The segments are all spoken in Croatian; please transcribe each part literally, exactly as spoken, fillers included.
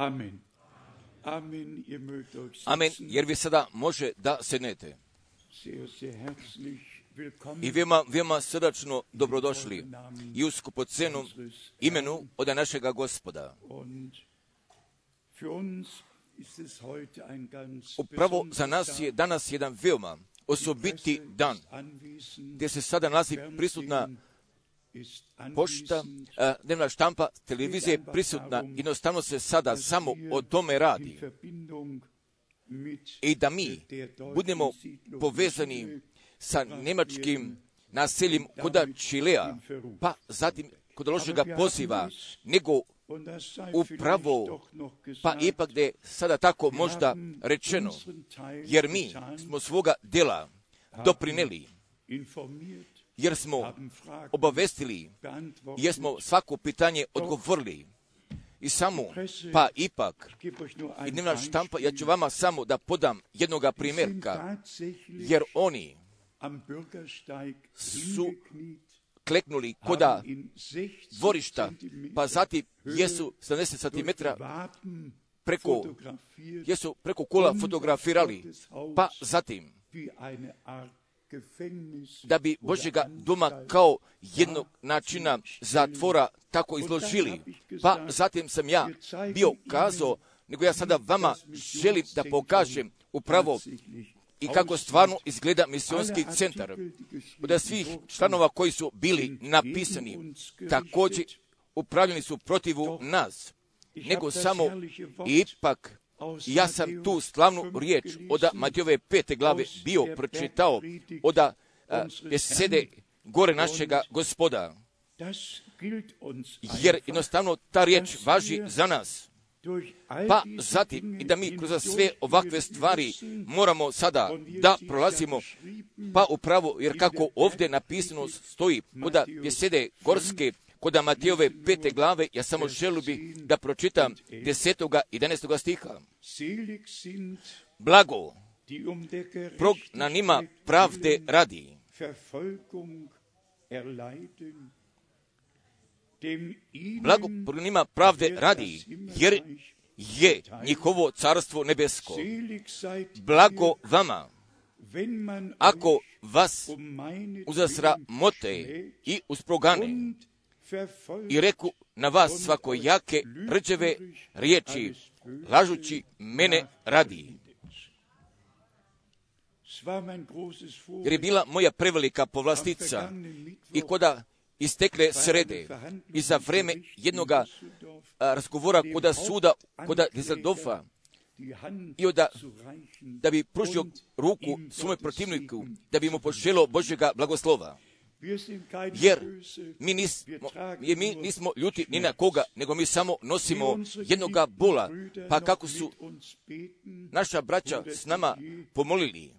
Amen. Amen, ihr mögt euch sitzen. Amen, jer vi sada može da sednete. Sehr, sehr herzlich willkommen. I veoma, veoma srdačno dobrodošli i u skupocenom imenu od našega Gospoda. Und für uns ist es heute ein ganz Upravo za nas je danas jedan veoma osobiti dan, gdje se sada nalazi prisutna pošta, dnevna štampa, televizija je prisutna, jednostavno se sada samo o tome radi. I da mi budemo povezani sa njemačkim naseljem kod Čilea, pa zatim kod lošega poziva, nego upravo, pa ipak da je sada tako možda rečeno, jer mi smo svoga dela doprineli, jer smo obavestili, jer smo svako pitanje odgovorili. I samo, pa ipak, i dnevna štampa, ja ću vama samo da podam jednoga primjerka, jer oni su kleknuli koda dvorišta, pa zatim jesu sedamdeset centimetara preko, jesu preko kola fotografirali, pa zatim da bi Božjega doma kao jednog načina zatvora tako izložili. Pa zatim sam ja bio kazao, nego ja sada vama želim da pokažem upravo i kako stvarno izgleda misionski centar. Od svih članova koji su bili napisani, također upravljeni su protivu nas, nego samo ipak ja sam tu slavnu riječ od Matejove pete glave bio pročitao od besede gore našega Gospoda. Jer jednostavno ta riječ važi za nas. Pa zatim i da mi kroz sve ovakve stvari moramo sada da prolazimo, pa upravo, jer kako ovdje napisano stoji kod besede gorske, kod Matejove pete glave, ja samo želio bi da pročitam desetoga i jedanaestoga stiha. Blago prognanima pravde radi, blago prognanima pravde radi, jer je njihovo carstvo nebesko. Blago vama, ako vas uzasramote i usprogane i reku na vas svakojake rđeve riječi, lažući mene radi. Jer je bila moja prevelika povlastica i koda istekle srede i za vreme jednoga a, razgovora koda suda, koda Düsseldorfa, i oda, da bi pružio ruku svome protivniku, da bi mu poželio Božjega blagoslova. Jer mi nismo, jer mi nismo ljuti ni na koga, nego mi samo nosimo jednoga bola, pa kako su naša braća s nama pomolili,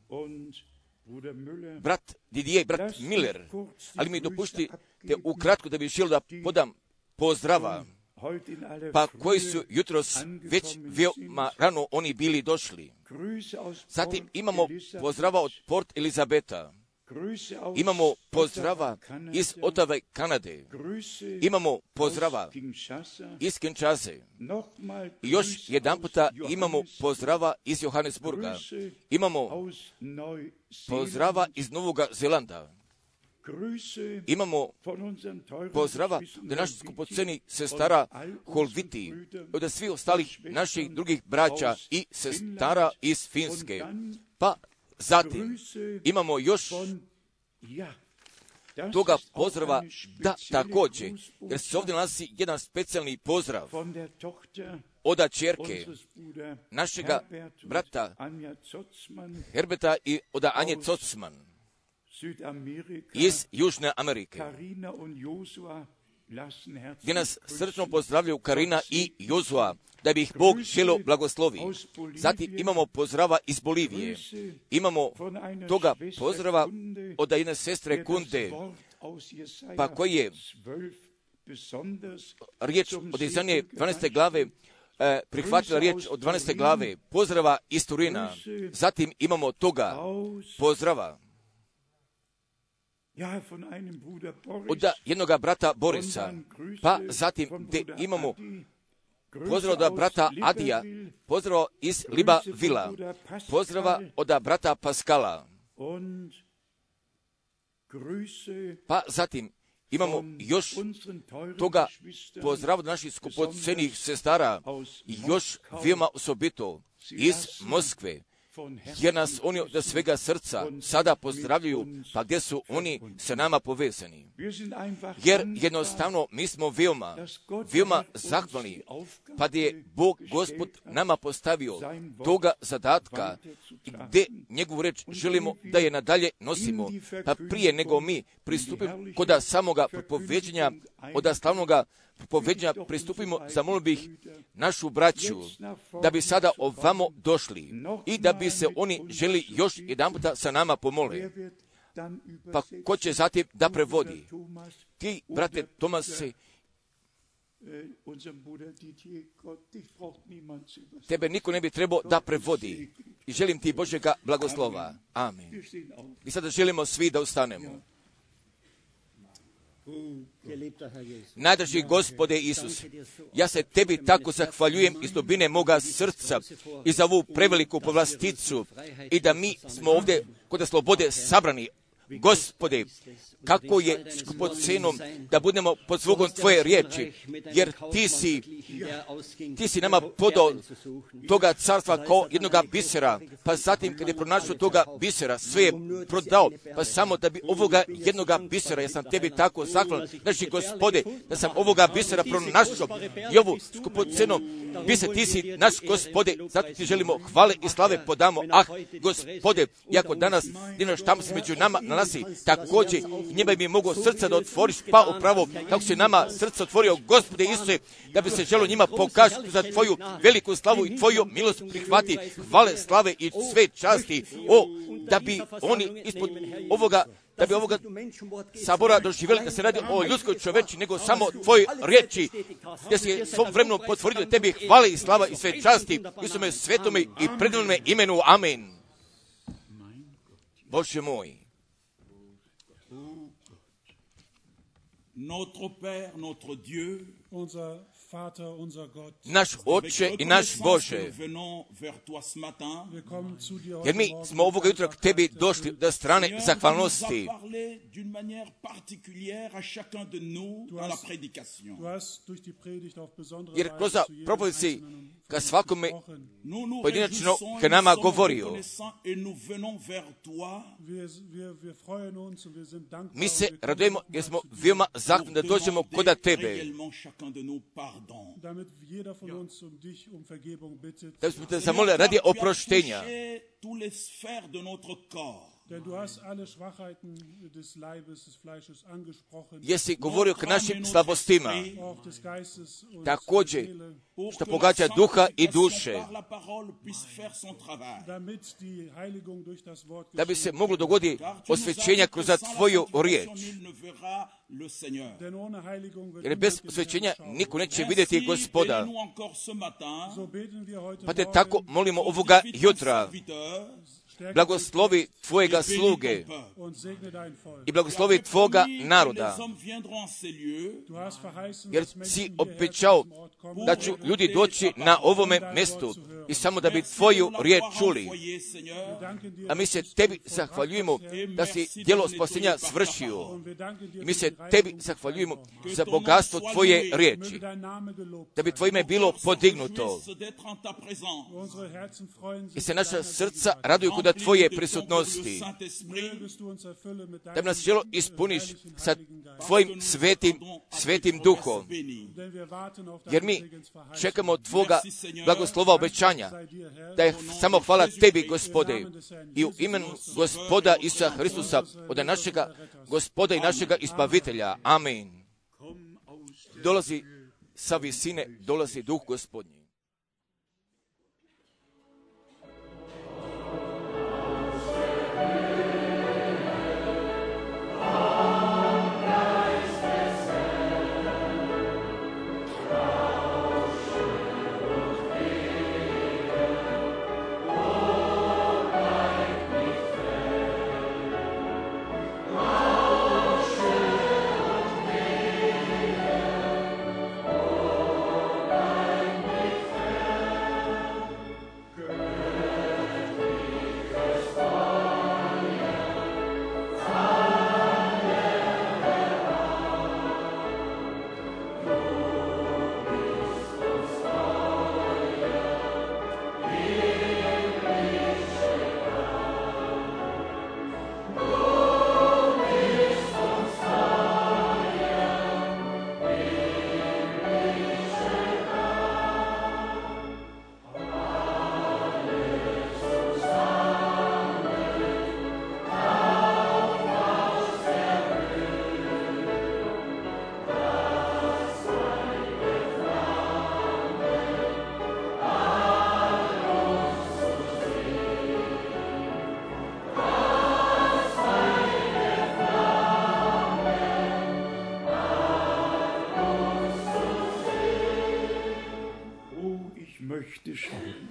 brat Didier, brat Miller, ali mi dopuštite ukratko da bih želio da podam pozdrava, pa koji su jutros već veoma rano oni bili došli. Zatim imamo pozdrava od Port Elizabeta, imamo pozdrava iz Otave, Kanade, imamo pozdrava iz Kinshase, i još jedan puta imamo pozdrava iz Johannesburga, imamo pozdrava iz Novoga Zelanda, imamo pozdrava da naš skupoceni sestara Holviti, od svih ostalih naših drugih braća i sestara iz Finske. Pa zatim imamo još toga pozdrava, da također, jer se ovdje nalazi jedan specijalni pozdrav od ćerke našega brata Herberta i od Anje Zotzman iz Južne Amerike, gdje nas srčno pozdravljaju Karina i Jozua, da bi ih Bog želio blagoslovi. Zatim imamo pozdrava iz Bolivije. Imamo toga pozdrava od jedne sestre Kunde, pa koji je riječ od Izanije dvanaeste glave, eh, prihvatila riječ od dvanaeste glave, pozdrava iz Turina. Zatim imamo toga pozdrava od jednoga brata Borisa, pa zatim gdje imamo pozdrav od brata Adija, pozdrav iz Libavila, pozdrava od brata Paskala. Pa zatim imamo još toga pozdrav naših skupocenih sestara, još veoma osobito iz Moskve, jer nas oni od svega srca sada pozdravljaju, pa gdje su oni sa nama povezani. Jer jednostavno mi smo veoma, veoma zahvalni, pa gdje je Bog Gospod nama postavio toga zadatka, gdje njegovu reč želimo da je nadalje nosimo, pa prije nego mi pristupimo kod samoga propoveđenja, od slavnoga propoveđenja pristupimo, zamolio bih našu braću da bi sada ovamo došli i da bi se oni želi još jedan puta sa nama pomole. Pa ko će zatim da prevodi? Ti, brate Tomase, tebe niko ne bi trebao da prevodi. I želim ti Božjega blagoslova. Amen. I sada želimo svi da ustanemo. Najdraži Gospode Isus, ja se tebi tako zahvaljujem iz dubine moga srca i za ovu preveliku povlasticu i da mi smo ovdje kod slobode sabrani. Gospode, kako je skupocenom da budemo pod zvugom Tvoje riječi, jer Ti si, ti si nama podao toga carstva kao jednoga bisera, pa zatim kad je pronašao toga bisera, sve je prodao, pa samo da bi ovoga jednoga bisera, ja sam Tebi tako zahvalan, znači Gospode, da sam ovoga bisera pronašao i ovu skupocenom biser, Ti si naš Gospode, zato Ti želimo hvale i slave podamo. Ah, Gospode, iako danas dinaš tamo se među nama nalazi, također njima bi mogao srca da otvoriš, pa upravo kako se nama srce otvorio, Gospode Isuse, da bi se želo njima pokazati za Tvoju veliku slavu i Tvoju milost prihvati, hvale, slave i sve časti, o, da bi oni ispod ovoga, da bi ovoga sabora doživjeli da se radi o ljudskoj čoveči, nego samo Tvoje riječi, gdje se svom vremenu potvrdio Tebi hvale i slava i sve časti, Isuse svetome i predivnome imenu. Amen. Bože moj, Notre Père, notre Dieu, unser Vater, unser Gott, naš Oče i naš Bože, jer mi smo ovoga jutra k Tebi došli do strane zahvalnosti. Jer kroz propovijed si ka svakome pojedinačno ka nama govorio. Mi se radujemo jer smo veoma zahvalni da dođemo koda Tebe. Da bismo te zamolili radi oproštenja. Jesi govorio k našim slabostima, također što pogađa duha i duše, da bi se moglo dogoditi osvećenja kroz Tvoju riječ. Jer bez osvećenja niko neće vidjeti Gospoda. Pa te tako molimo ovoga jutra. Blagoslovi Tvojega sluge i blagoslovi Tvoga naroda, jer si obećao da ću ljudi doći na ovome mjestu i samo da bi Tvoju riječ čuli. A mi se Tebi zahvaljujemo da si djelo spasenja svršio. I mi se Tebi zahvaljujemo za bogatstvo Tvoje riječi, da bi Tvoje ime bilo podignuto. I se naša srca raduju kod Tvoje prisutnosti, da bi nas želo ispuniš sa Tvojim svetim, svetim duhom. Jer mi čekamo Tvoga blagoslova obećanja, da je samo hvala Tebi, Gospode, i u imenu Gospoda Isusa Hristusa, od našega Gospoda i našega Izbavitelja. Amen. Dolazi sa visine, dolazi duh Gospodnji.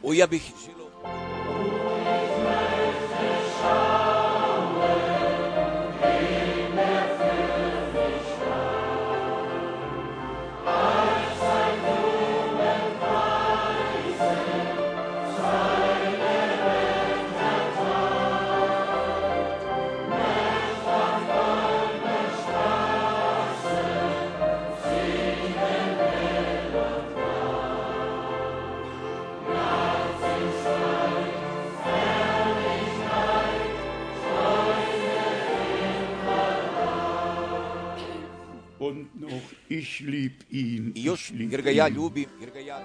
O, ja bih želio Ich lieb ihn, i još, ich lieb jer ga ja ihn. ljubim, jer ga ja...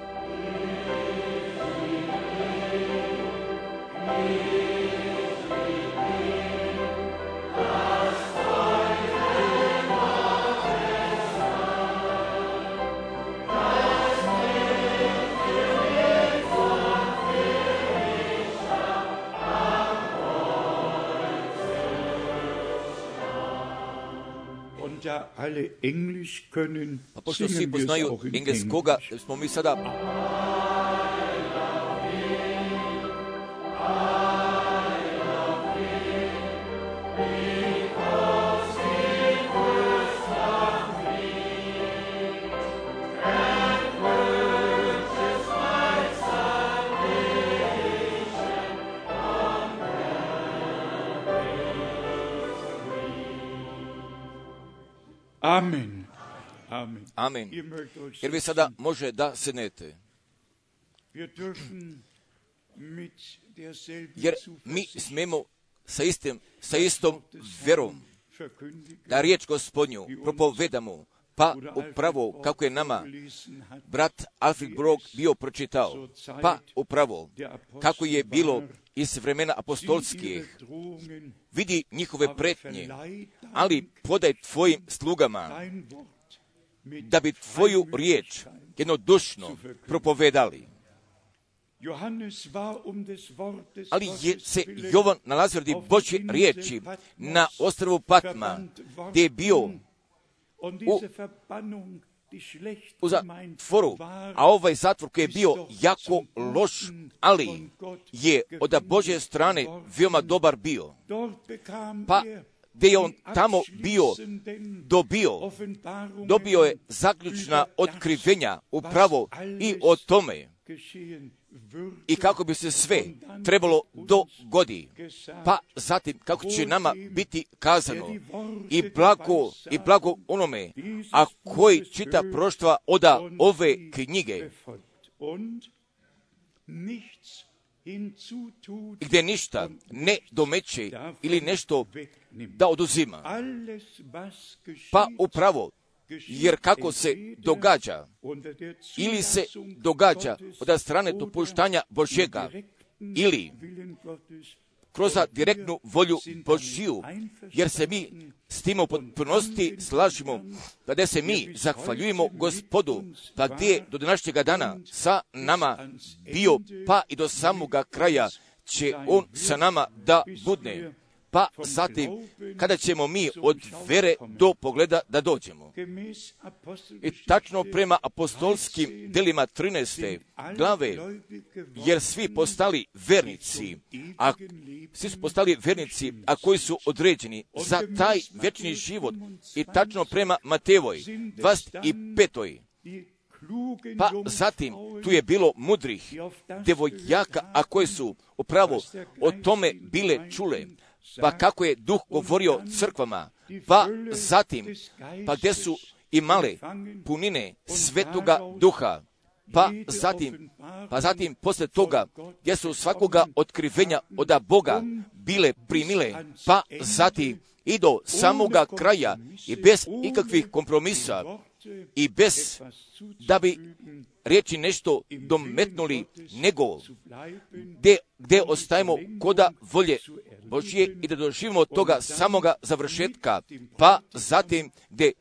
Da alle Englisch können, A pošto svi singen wir es poznaju auch in engleskoga, Englisch. smo mi sada... Amen. Amen. Amen. Ihr mögt euch Jer vi sada može da sednete. Wir dürfen mit derselben Jer mi Zuversicht smemo sa, istim, sa istom verom verkündigen, da riječ Gospodnju propovedamo, pa upravo kako je nama brat Alfred Brog bio pročitao, pa upravo kako je bilo iz vremena apostolskih, vidi njihove pretnje, ali podaj tvojim slugama da bi tvoju riječ jednodušno propovedali. Ali je se Jovan nalazio radi Božje riječi na ostrvu Patma, gdje je bio u, u zatvoru, a ovaj zatvor koji je bio jako loš, ali je od Božje strane veoma dobar bio. Pa gdje je on tamo bio dobio, dobio je zaključna otkrivenja upravo i o tome i kako bi se sve trebalo dogodi. Pa zatim kako će nama biti kazano i blago, i blago onome, a koji čita proštva oda ove knjige, gdje ništa ne domeće ili nešto da oduzima. Pa upravo, jer kako se događa, ili se događa od strane dopuštanja Božjega, ili kroz direktnu volju Božju, jer se mi s tim u potpunosti slažemo, pa gdje se mi zahvaljujemo Gospodu, pa gdje do današnjega dana sa nama bio, pa i do samoga kraja će on sa nama da budne. Pa zatim, kada ćemo mi od vere do pogleda da dođemo. I tačno prema apostolskim delima trinaeste glave, jer svi postali vernici, a svi su postali vernici, a koji su određeni za taj vječni život. I tačno prema Matejevoj dvadeset petoj Pa zatim tu je bilo mudrih devojaka, a koje su upravo o tome bile čule. Pa kako je Duh govorio crkvama, pa zatim, pa gdje su imale punine Svetoga Duha, pa zatim, pa zatim posle toga, gdje su svakoga otkrivenja od Boga bile primile, pa zatim i do samoga kraja i bez ikakvih kompromisa i bez da bi riječi nešto dometnuli, nego gdje, gdje ostajemo koda volje Božje i da doživimo od toga samoga završetka, pa zatim gdje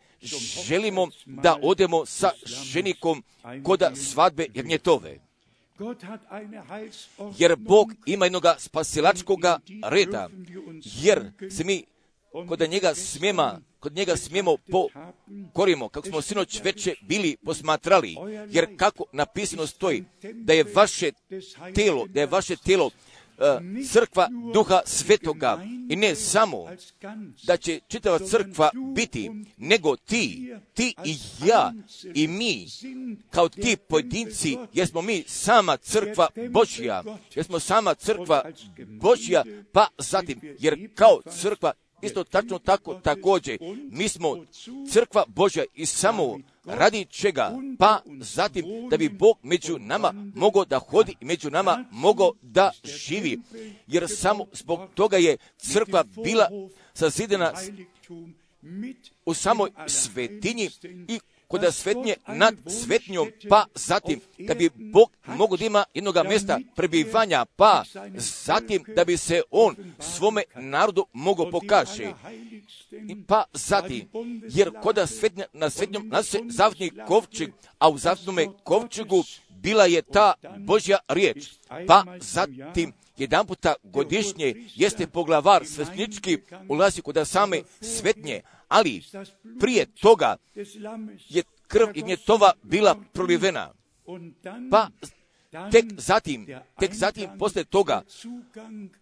želimo da odemo sa ženikom koda svadbe jagnjetove. Jer Bog ima jednoga spasilačkoga reda, jer se mi kod njega smijemo, kod njega smijemo pokorimo, kako smo sinoć veče bili posmatrali, jer kako napisano stoji, da je vaše telo, da je vaše telo uh, crkva Duha Svetoga, i ne samo da će čitava crkva biti, nego ti, ti i ja i mi, kao ti pojedinci, jer smo mi sama crkva Božja, jer smo sama crkva Božja, pa zatim, jer kao crkva, isto tačno tako također, mi smo crkva Božja i samo radi čega, pa zatim da bi Bog među nama mogao da hodi i među nama mogao da živi, jer samo zbog toga je crkva bila sazidana u samoj svetinji i kod svetnje nad svetnjom, pa zatim da bi Bog mogao da ima jednoga mjesta prebivanja, pa zatim da bi se on svome narodu mogao pokaže. I pa zatim, jer kod svetnja, na svetnjom nas se zavni kovčeg, a u zavnome kovčegu bila je ta Božja riječ, pa zatim jedan puta godišnje jeste poglavar sveštenički ulazi kod same svetnje, ali prije toga je krv Ignjetova bila prolivena. Pa tek zatim, tek zatim posle toga,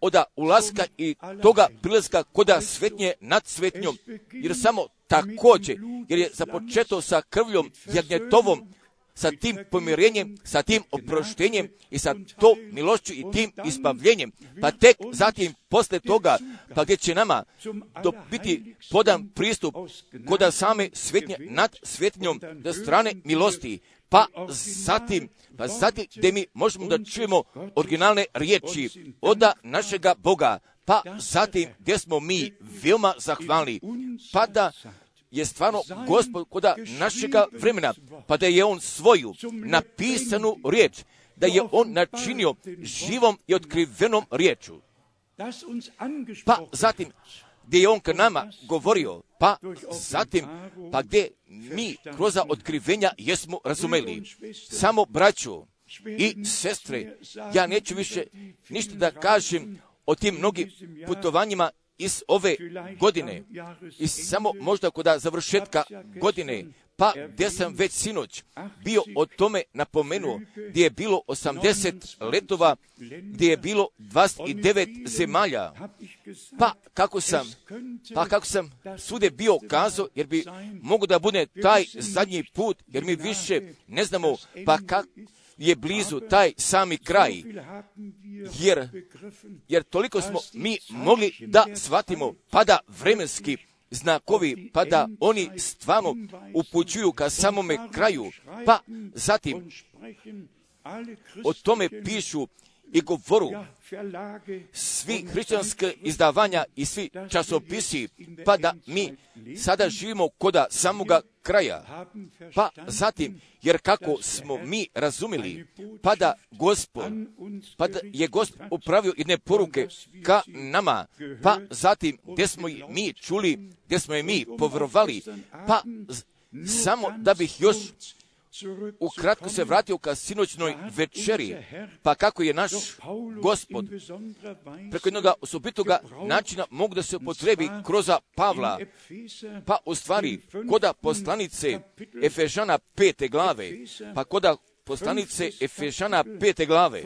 oda ulaska i toga prilaska koda svetnje nad svetnjom, jer samo također, jer je započeto sa krvljom Jagnjetovom, sa tim pomirenjem, sa tim oproštenjem i sa to milošću i tim isbavljenjem, pa tek zatim posle toga, pa gdje će nama do biti podan pristup koda same svetnje nad svetnjom do strane milosti, pa zatim, pa zatim gdje mi možemo da čujemo originalne riječi od našega Boga, pa zatim gdje smo mi veoma zahvalni, pa da je stvarno Gospod koda našega vremena, pa da je on svoju napisanu riječ, da je on načinio živom i otkrivenom riječu. Pa zatim, gdje je on k nama govorio, pa zatim, pa gdje mi kroz otkrivenja jesmo razumeli. Samo braćo i sestre, ja neću više ništa da kažem o tim mnogim putovanjima iz ove godine, i samo možda kod završetka godine, pa gdje sam već sinoć bio o tome napomenuo, gdje je bilo osamdeset letova, gdje je bilo dvadeset devet zemalja, pa kako sam, pa kako sam svude bio kazao, jer bi mogu da bude taj zadnji put, jer mi više ne znamo, pa kako je blizu taj sami kraj, jer, jer toliko smo mi mogli da shvatimo, pa da vremenski znakovi, pa da oni stvarno upućuju ka samome kraju, pa zatim o tome pišu i govoru svi hrišćanske izdavanja i svi časopisi, pa da mi sada živimo koda samoga kraja. Pa zatim, jer kako smo mi razumili, pa da Gospod, pa da je Gospod upravio jedne poruke ka nama, pa zatim gdje smo i mi čuli, gdje smo i mi povjerovali, pa samo da bih još ukratko se vratio ka sinoćnoj večeri, pa kako je naš Gospod preko jednog osobitoga načina mogu da se upotrebi kroz Pavla, pa u stvari koda poslanice Efežana pete glave, pa koda poslanice Efežana pete glave,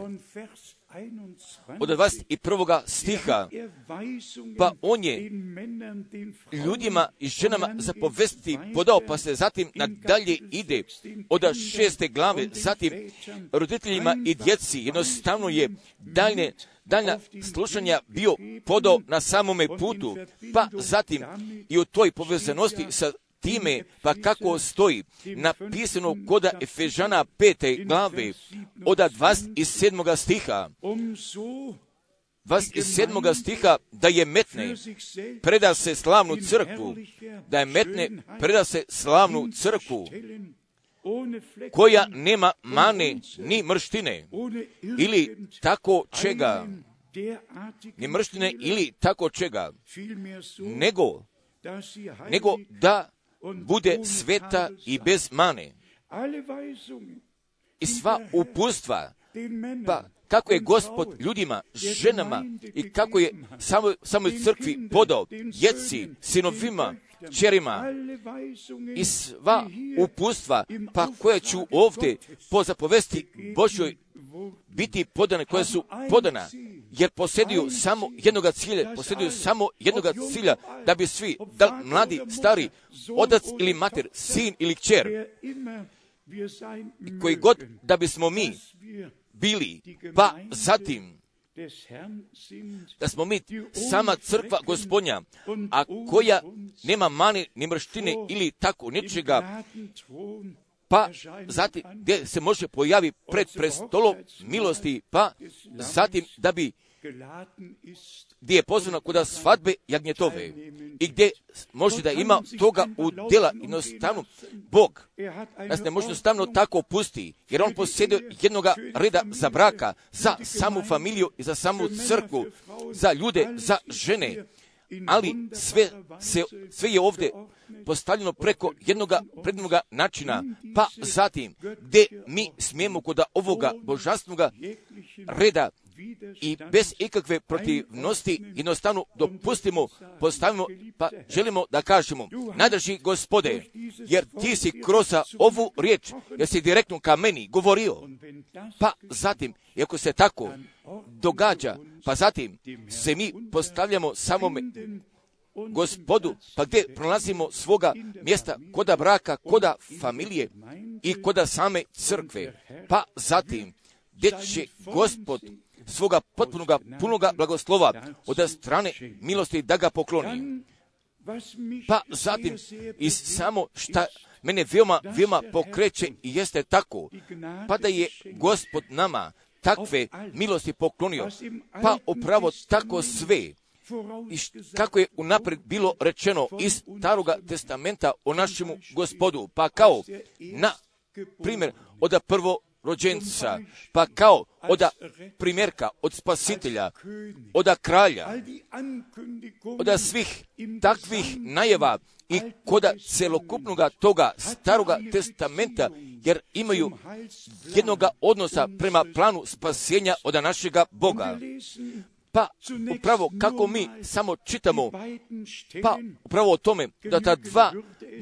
od dvadeset prvog stiha, pa on je ljudima i ženama zapovesti podao, pa se zatim nadalje ide od šeste glave, zatim roditeljima i djeci, jednostavno je daljne, daljna slušanja bio podao na samome putu, pa zatim i u toj povezanosti sa time, pa kako stoji napisano koda Efežana pete glave od dvadeset sedmog stiha, dvadeset sedmog stiha, da je metne, preda se slavnu crkvu, da je metne, preda se slavnu crkvu, koja nema mane ni mrštine, ili tako čega, ni mrštine ili tako čega, nego, nego da bude sveta i bez mane. I sva uputstva, pa kako je Gospod ljudima, ženama i kako je samo, samoj crkvi podao, djeci, sinovima, kćerima i sva upustva, pa koja ću ovdje po zapovesti Božjoj biti podane, koja su podana, jer posjeduju samo jednoga cilja, posjeduju samo jednoga cilja, da bi svi, da mladi, stari, otac ili mater, sin ili kćer, koji god da bismo mi bili, pa zatim da smo mi sama crkva Gospodnja, a koja nema mane ni mrštine ili tako nečega, pa zatim gdje se može pojavi pred prestolom milosti, pa zatim da bi gdje je pozvano kod svadbe jagnjetove i gdje može da ima toga udjela. Jednostavno Bog nas ne može jednostavno tako pusti, jer on posjeduje jednoga reda za braka, za samu familiju i za samu crkvu, za ljude, za žene, ali sve, se, sve je ovdje postavljeno preko jednoga prednoga načina, pa zatim gdje mi smijemo kod ovoga božanstvenog reda i bez ikakve protivnosti jednostavno dopustimo, postavimo, pa želimo da kažemo, najdraži Gospode, jer ti si kroz ovu riječ, jer si direktno ka meni govorio, pa zatim, i ako se tako događa, pa zatim se mi postavljamo samome Gospodu, pa gdje pronalazimo svoga mjesta koda braka, koda familije i koda same crkve, pa zatim gdje će Gospod svoga potpunoga, punoga blagoslova od strane milosti da ga pokloni. Pa zatim i samo šta mene veoma, veoma pokreće i jeste tako, pa da je Gospod nama takve milosti poklonio, pa upravo tako sve, i kako je unaprijed bilo rečeno iz Staroga testamenta o našemu Gospodu, pa kao na primjer od prvo rođenca, pa kao od primjerka, od spasitelja, od kralja, od svih takvih najava i koda celokupnog toga Staroga testamenta, jer imaju jednoga odnosa prema planu spasenja od našega Boga. Pa upravo kako mi samo čitamo, pa upravo o tome da ta dva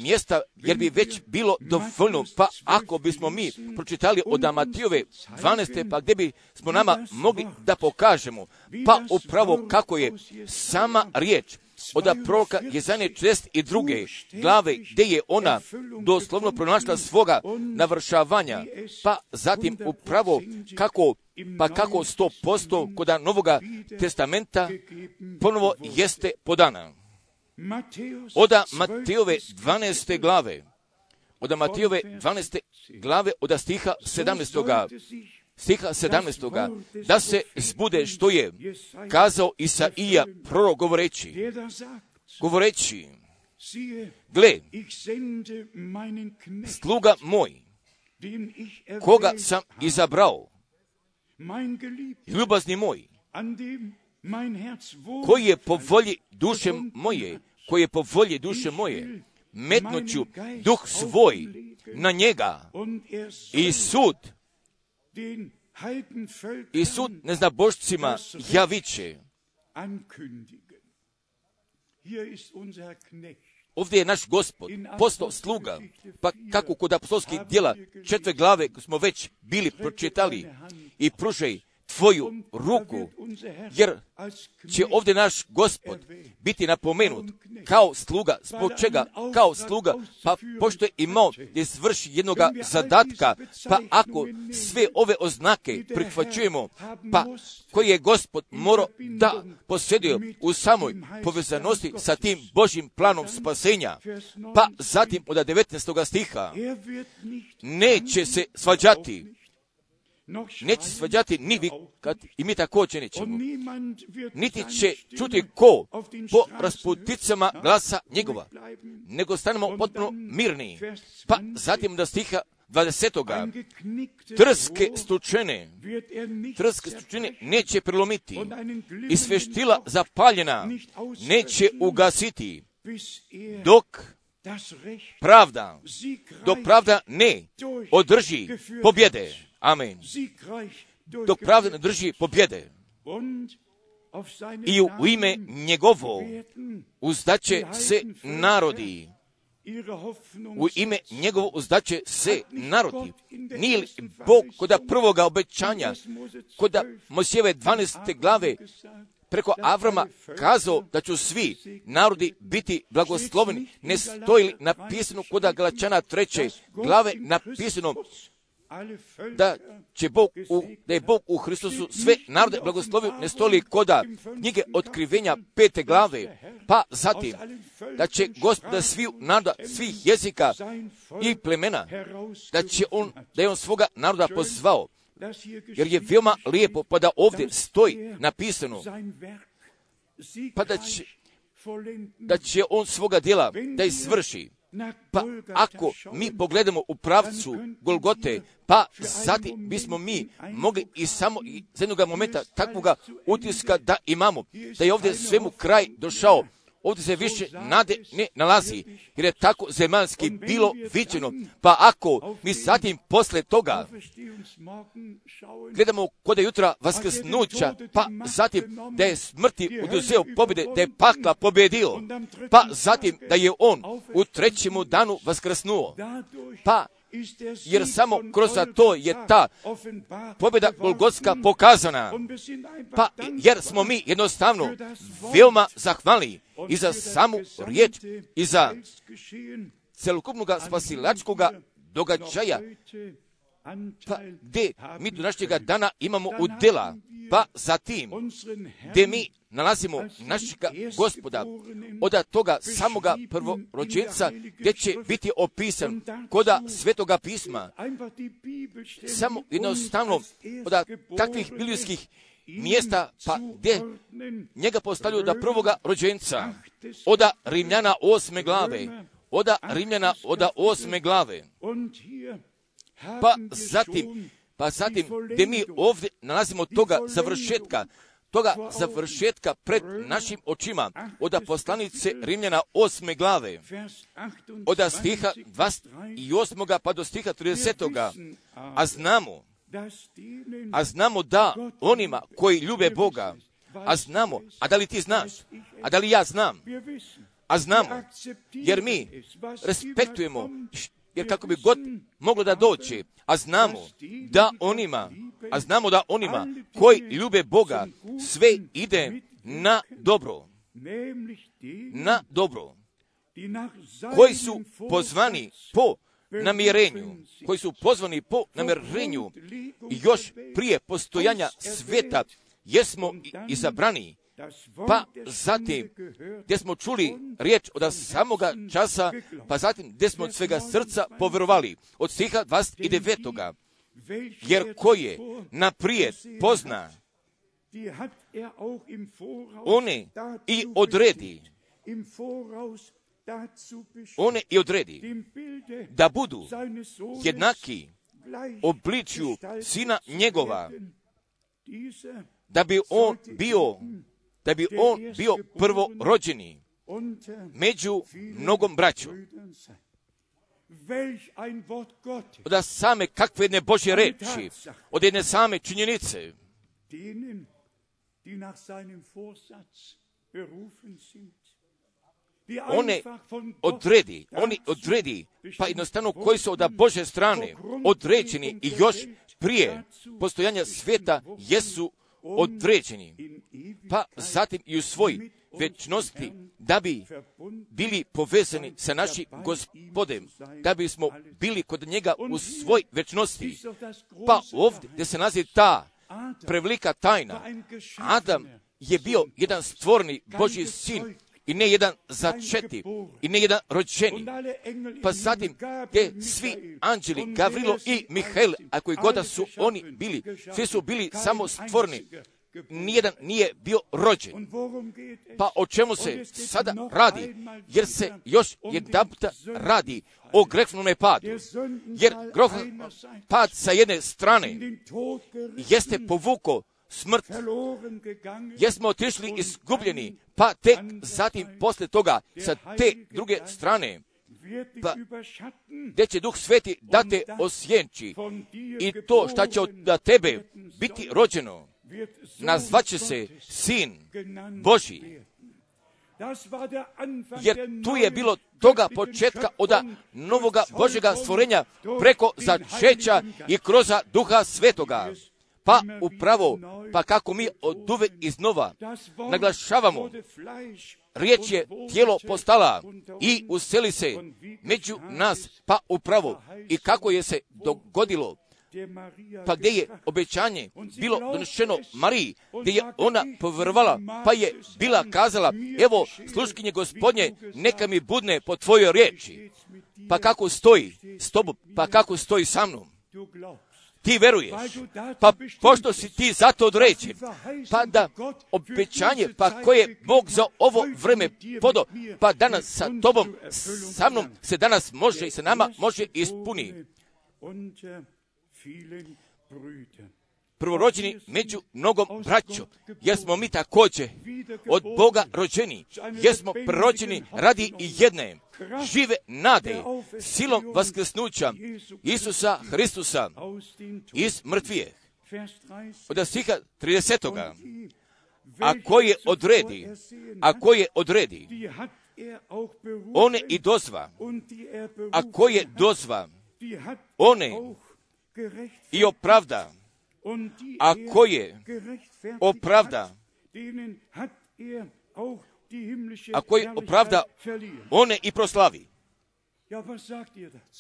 mjesta, jer bi već bilo dovoljno, pa ako bismo mi pročitali od Matijove dvanaeste, pa gdje bi smo nama mogli da pokažemo, pa upravo kako je sama riječ od proroka Jezaje četrdeset druge glave, gdje je ona doslovno pronašla svoga navršavanja, pa zatim upravo kako, pa kako sto posto kod Novoga testamenta ponovo jeste podana. Od Matijove dvanaeste glave, od Matijove dvanaeste glave, od stiha sedamnaestoga stiha sedamnaestoga da se zbude što je kazao Isaija prorok govoreći, govoreći, gle, sluga moj, koga sam izabrao, ljubazni moj, koji je po volji duše moje, koji je po volji duše moje, metnuću duh svoj na njega i sud, i sud neznabošcima javiće. Ovdje je naš Gospod postao sluga, pa kako kod apostolskih djela četiri glave smo već bili pročitali, i pružaj tvoju ruku, jer će ovdje naš Gospod biti napomenut kao sluga. Zbog čega? Kao sluga, pa pošto je imao da izvrši jednoga zadatka, pa ako sve ove oznake prihvaćujemo, pa koji je Gospod morao da posjeduje u samoj povezanosti sa tim Božjim planom spasenja, pa zatim od devetnaestoga stiha, neće se svađati, neće svađati ni vi, kad i mi također nećemo. Niti će čuti ko po rasputicama glasa njegova, nego stanemo potpuno mirni. Pa zatim da stiha dvadesetoga, trske stučene, trske stučene neće prelomiti i sveštila zapaljena neće ugasiti, dok pravda, dok pravda ne održi pobjede. Amen. Dok pravda ne drži pobjede. i u ime njegovo uzdaće se narodi. U ime njegovo uzdaće se narodi. Nije li Bog koda prvoga obećanja, koda Mojsijeve dvanaeste glave, preko Avrama kazao da će svi narodi biti blagosloveni? Ne stoji li napisano koda Galačana treće glave napisano da će Bog u, da je Bog u Hristusu sve narode blagoslovio? Ne stoji li koda knjige Otkrivenja pete glave? Pa zatim da će Gospoda svih naroda, svih jezika i plemena, da će on, da je on svoga naroda pozvao. Jer je veoma lijepo pa da ovdje stoji napisano pa da će, da će on svoga djela da izvrši. Pa ako mi pogledamo u pravcu Golgote, pa zatim bismo mi mogli i samo iz jednog momenta takvoga utiska da imamo, da je ovdje svemu kraj došao. Ovdje se više nade ne nalazi, jer je tako zemaljski bilo viđeno. Pa ako mi zatim posle toga gledamo kod je jutra vaskrsnuća, pa zatim da je smrti oduzeo pobjede, da je pakla pobjedio, pa zatim da je on u trećemu danu vaskrsnuo, pa jer samo kroz to je ta pobjeda Golgotska pokazana. Pa jer smo mi jednostavno veoma zahvalni i za samu riječ i za celokupnog spasilačkog događaja, pa gdje mi do našega dana imamo udjela, pa zatim gdje mi nalazimo našega Gospoda od toga samoga prvorođenca, gdje će biti opisan koda Svetoga pisma, samo jednostavno od takvih biblijskih mjesta, pa gdje njega postavljaju da prvoga rođenca, od Rimljana osme glave, od Rimljana od osme glave, pa zatim, pa zatim gdje mi ovdje nalazimo toga završetka, toga završetka pred našim očima, od poslanice Rimljana osme glave, od stiha dvadeset osam pa do stiha trideset. A znamo, a znamo da onima koji ljube Boga, a znamo, a da li ti znaš, a da li ja znam, a znamo, jer mi respektujemo, jer kako bi god moglo da doći, a znamo da onima, a znamo da onima koji ljube Boga sve ide na dobro, na dobro, koji su pozvani po namirenju, koji su pozvani po namirenju još prije postojanja sveta, jesmo izabrani, pa zatim gdje smo čuli riječ od samoga časa, pa zatim gdje smo od svega srca poverovali, od stiha dvadeset devet. Jer ko je naprijed pozna, one i odredi, one i odredi da budu jednaki obličju sina njegova, da bi on bio da bi on bio prvorođeni među mnogom braćom. Od same kakve jedne Božje reči, od jedne same činjenice, one odredi, oni odredi, pa jednostavno koji su od Božje strane određeni i još prije postojanja svijeta jesu određeni, pa zatim i u svoj večnosti, da bi bili povezani sa našim Gospodem, da bismo bili kod njega u svoj večnosti. Pa ovdje gdje se nalazi ta prevelika tajna, Adam je bio jedan stvorni Božji sin i ne jedan začeti i ne jedan rođeni. Pa zatim gdje svi anđeli, Gavrilo i Mihael, a koji god su oni bili, svi su bili samo stvorni, nijedan nije bio rođen. Pa o čemu se sada radi? Jer se još jedanputa radi o grehnome padu. Jer grehov pad sa jedne strane jeste povuko smrt, jesmo otišli izgubljeni, pa tek zatim posle toga sa te druge strane, pa gdje će Duh Sveti da te osjenči i to šta će od tebe biti rođeno, nazvaće se Sin Božji. Jer tu je bilo toga početka od novoga Božjega stvorenja preko začeća i kroz Duha Svetoga. Pa upravo, pa kako mi od uvek iznova naglašavamo, riječ je tijelo postala i useli se među nas, pa upravo i kako je se dogodilo, pa gdje je obećanje bilo donešeno Mariji, gdje je ona povjerovala, pa je bila kazala, evo sluškinje Gospodnje, neka mi budne po tvojoj riječi. Pa kako stoji s tobom, pa kako stoji sa mnom. Ti veruješ, pa pošto si ti zato određen, pa da obećanje, pa koje Bog za ovo vreme podo, pa danas sa tobom, sa mnom se danas može i sa nama može ispuni. Prvorođeni među mnogom braćom, jer smo mi također od Boga rođeni, jer smo prorođeni radi i jedne žive nade, silom vaskrsnuća Isusa Hristusa iz mrtvije. Od stiha tridesetoga. A koje odredi, a koje odredi, one i dozva, a koje dozva, one i opravda, a koje opravda, a koji opravda, one i proslavi.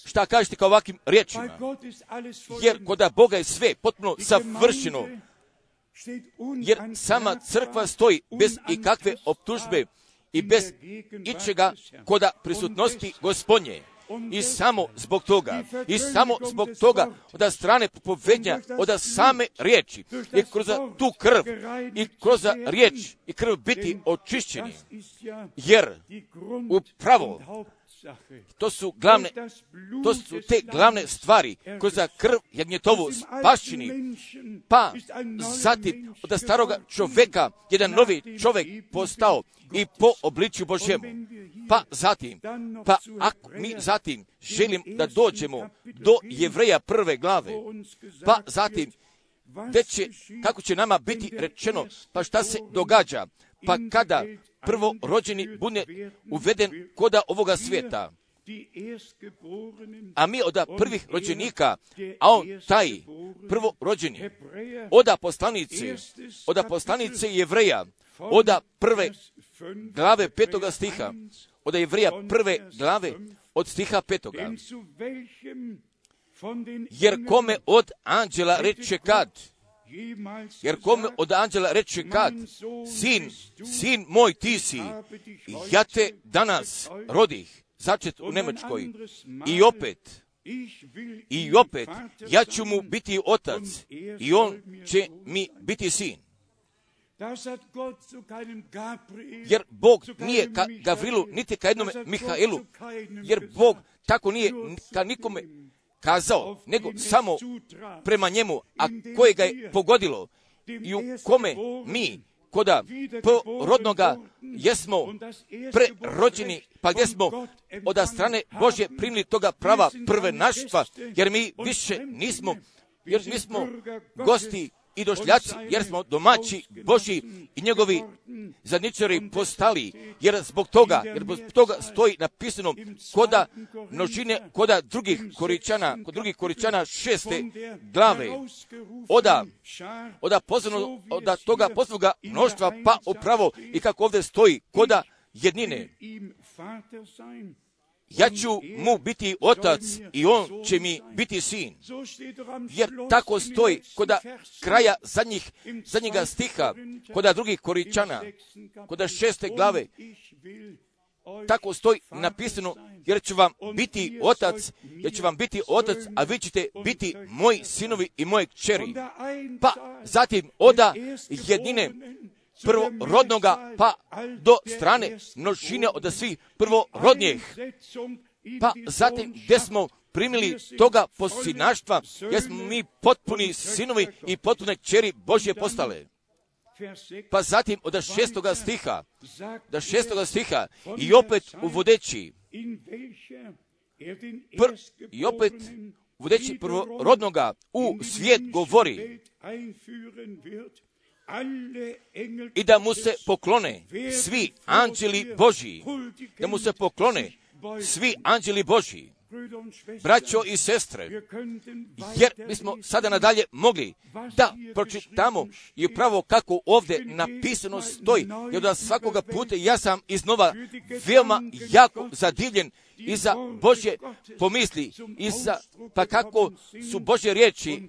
Šta kažete kao ovakvim riječima? Jer kod Boga je sve potpuno savršeno, jer sama crkva stoji bez ikakve optužbe i bez ičega koda prisutnosti Gospodnje. I samo zbog toga, i samo zbog toga, od strane propovednja, od same riječi, i kroz tu krv, i kroz riječ, i krv biti očišćeni. Jer upravo to su glavne, to su te glavne stvari, kroz krv jagnjetovu spašćeni, pa zatim od staroga čovjeka jedan novi čovjek postao i po obličju Božjemu. Pa zatim, pa ako mi zatim želim da dođemo do Jevreja prve glave, pa zatim, gdje će, kako će nama biti rečeno, pa šta se događa, pa kada prvorođeni bude uveden koda ovoga svijeta, a mi od prvih rođenika, a on taj prvorođeni, od poslanice, od poslanice Jevreja, od prve glave petoga stiha, od Jevreja prve glave od stiha petoga. Jer kome od anđela reče kad, jer kome od anđela reče kad, sin, sin moj ti si, ja te danas rodih, začet u Njemačkoj, i opet, i opet, ja ću mu biti otac, i on će mi biti sin. Jer Bog nije ka Gavrilu, niti ka jednome Mihaelu, jer Bog tako nije ka nikome kazao, nego samo prema njemu, a koje ga je pogodilo i u kome mi, koda porodnoga, jesmo prerođeni, pa gdje smo od strane Božje primili toga prava prvenaštva, jer mi više nismo, jer mi smo gosti i došljaci, jer smo domaći Božji i njegovi zadničari postali, jer zbog toga, jer zbog toga stoji napisano koda množine, koda drugih koričana, kod drugih koričana šeste glave, oda, oda pozvano, oda toga pozvoga mnoštva, pa upravo i kako ovdje stoji, koda jednine. Ja ću mu biti otac i on će mi biti sin. Jer tako stoji koda kraja zadnjih, zadnjega stiha, koda drugih koričana, koda šeste glave, tako stoji napisano, jer ću vam biti otac, jer ću vam biti otac, a vi ćete biti moji sinovi i moje kćeri. Pa zatim oda jednine prvorodnoga, pa do strane množine od svih prvorodnjih. Pa zatim gdje smo primili toga posinaštva, jer smo mi potpuni sinovi i potpune kćeri Božje postale. Pa zatim od šestoga stiha, do šestoga stiha i opet uvodeći, pr, i opet uvodeći prvorodnoga u svijet govori, i da mu se poklone svi anđeli Božji, da mu se poklone svi anđeli Božji, braćo i sestre, jer mi smo sada nadalje mogli da pročitamo i upravo kako ovdje napisano stoji, jer da svakoga puta ja sam iznova veoma jako zadivljen i za Božje pomisli, i za, pa kako su Božje riječi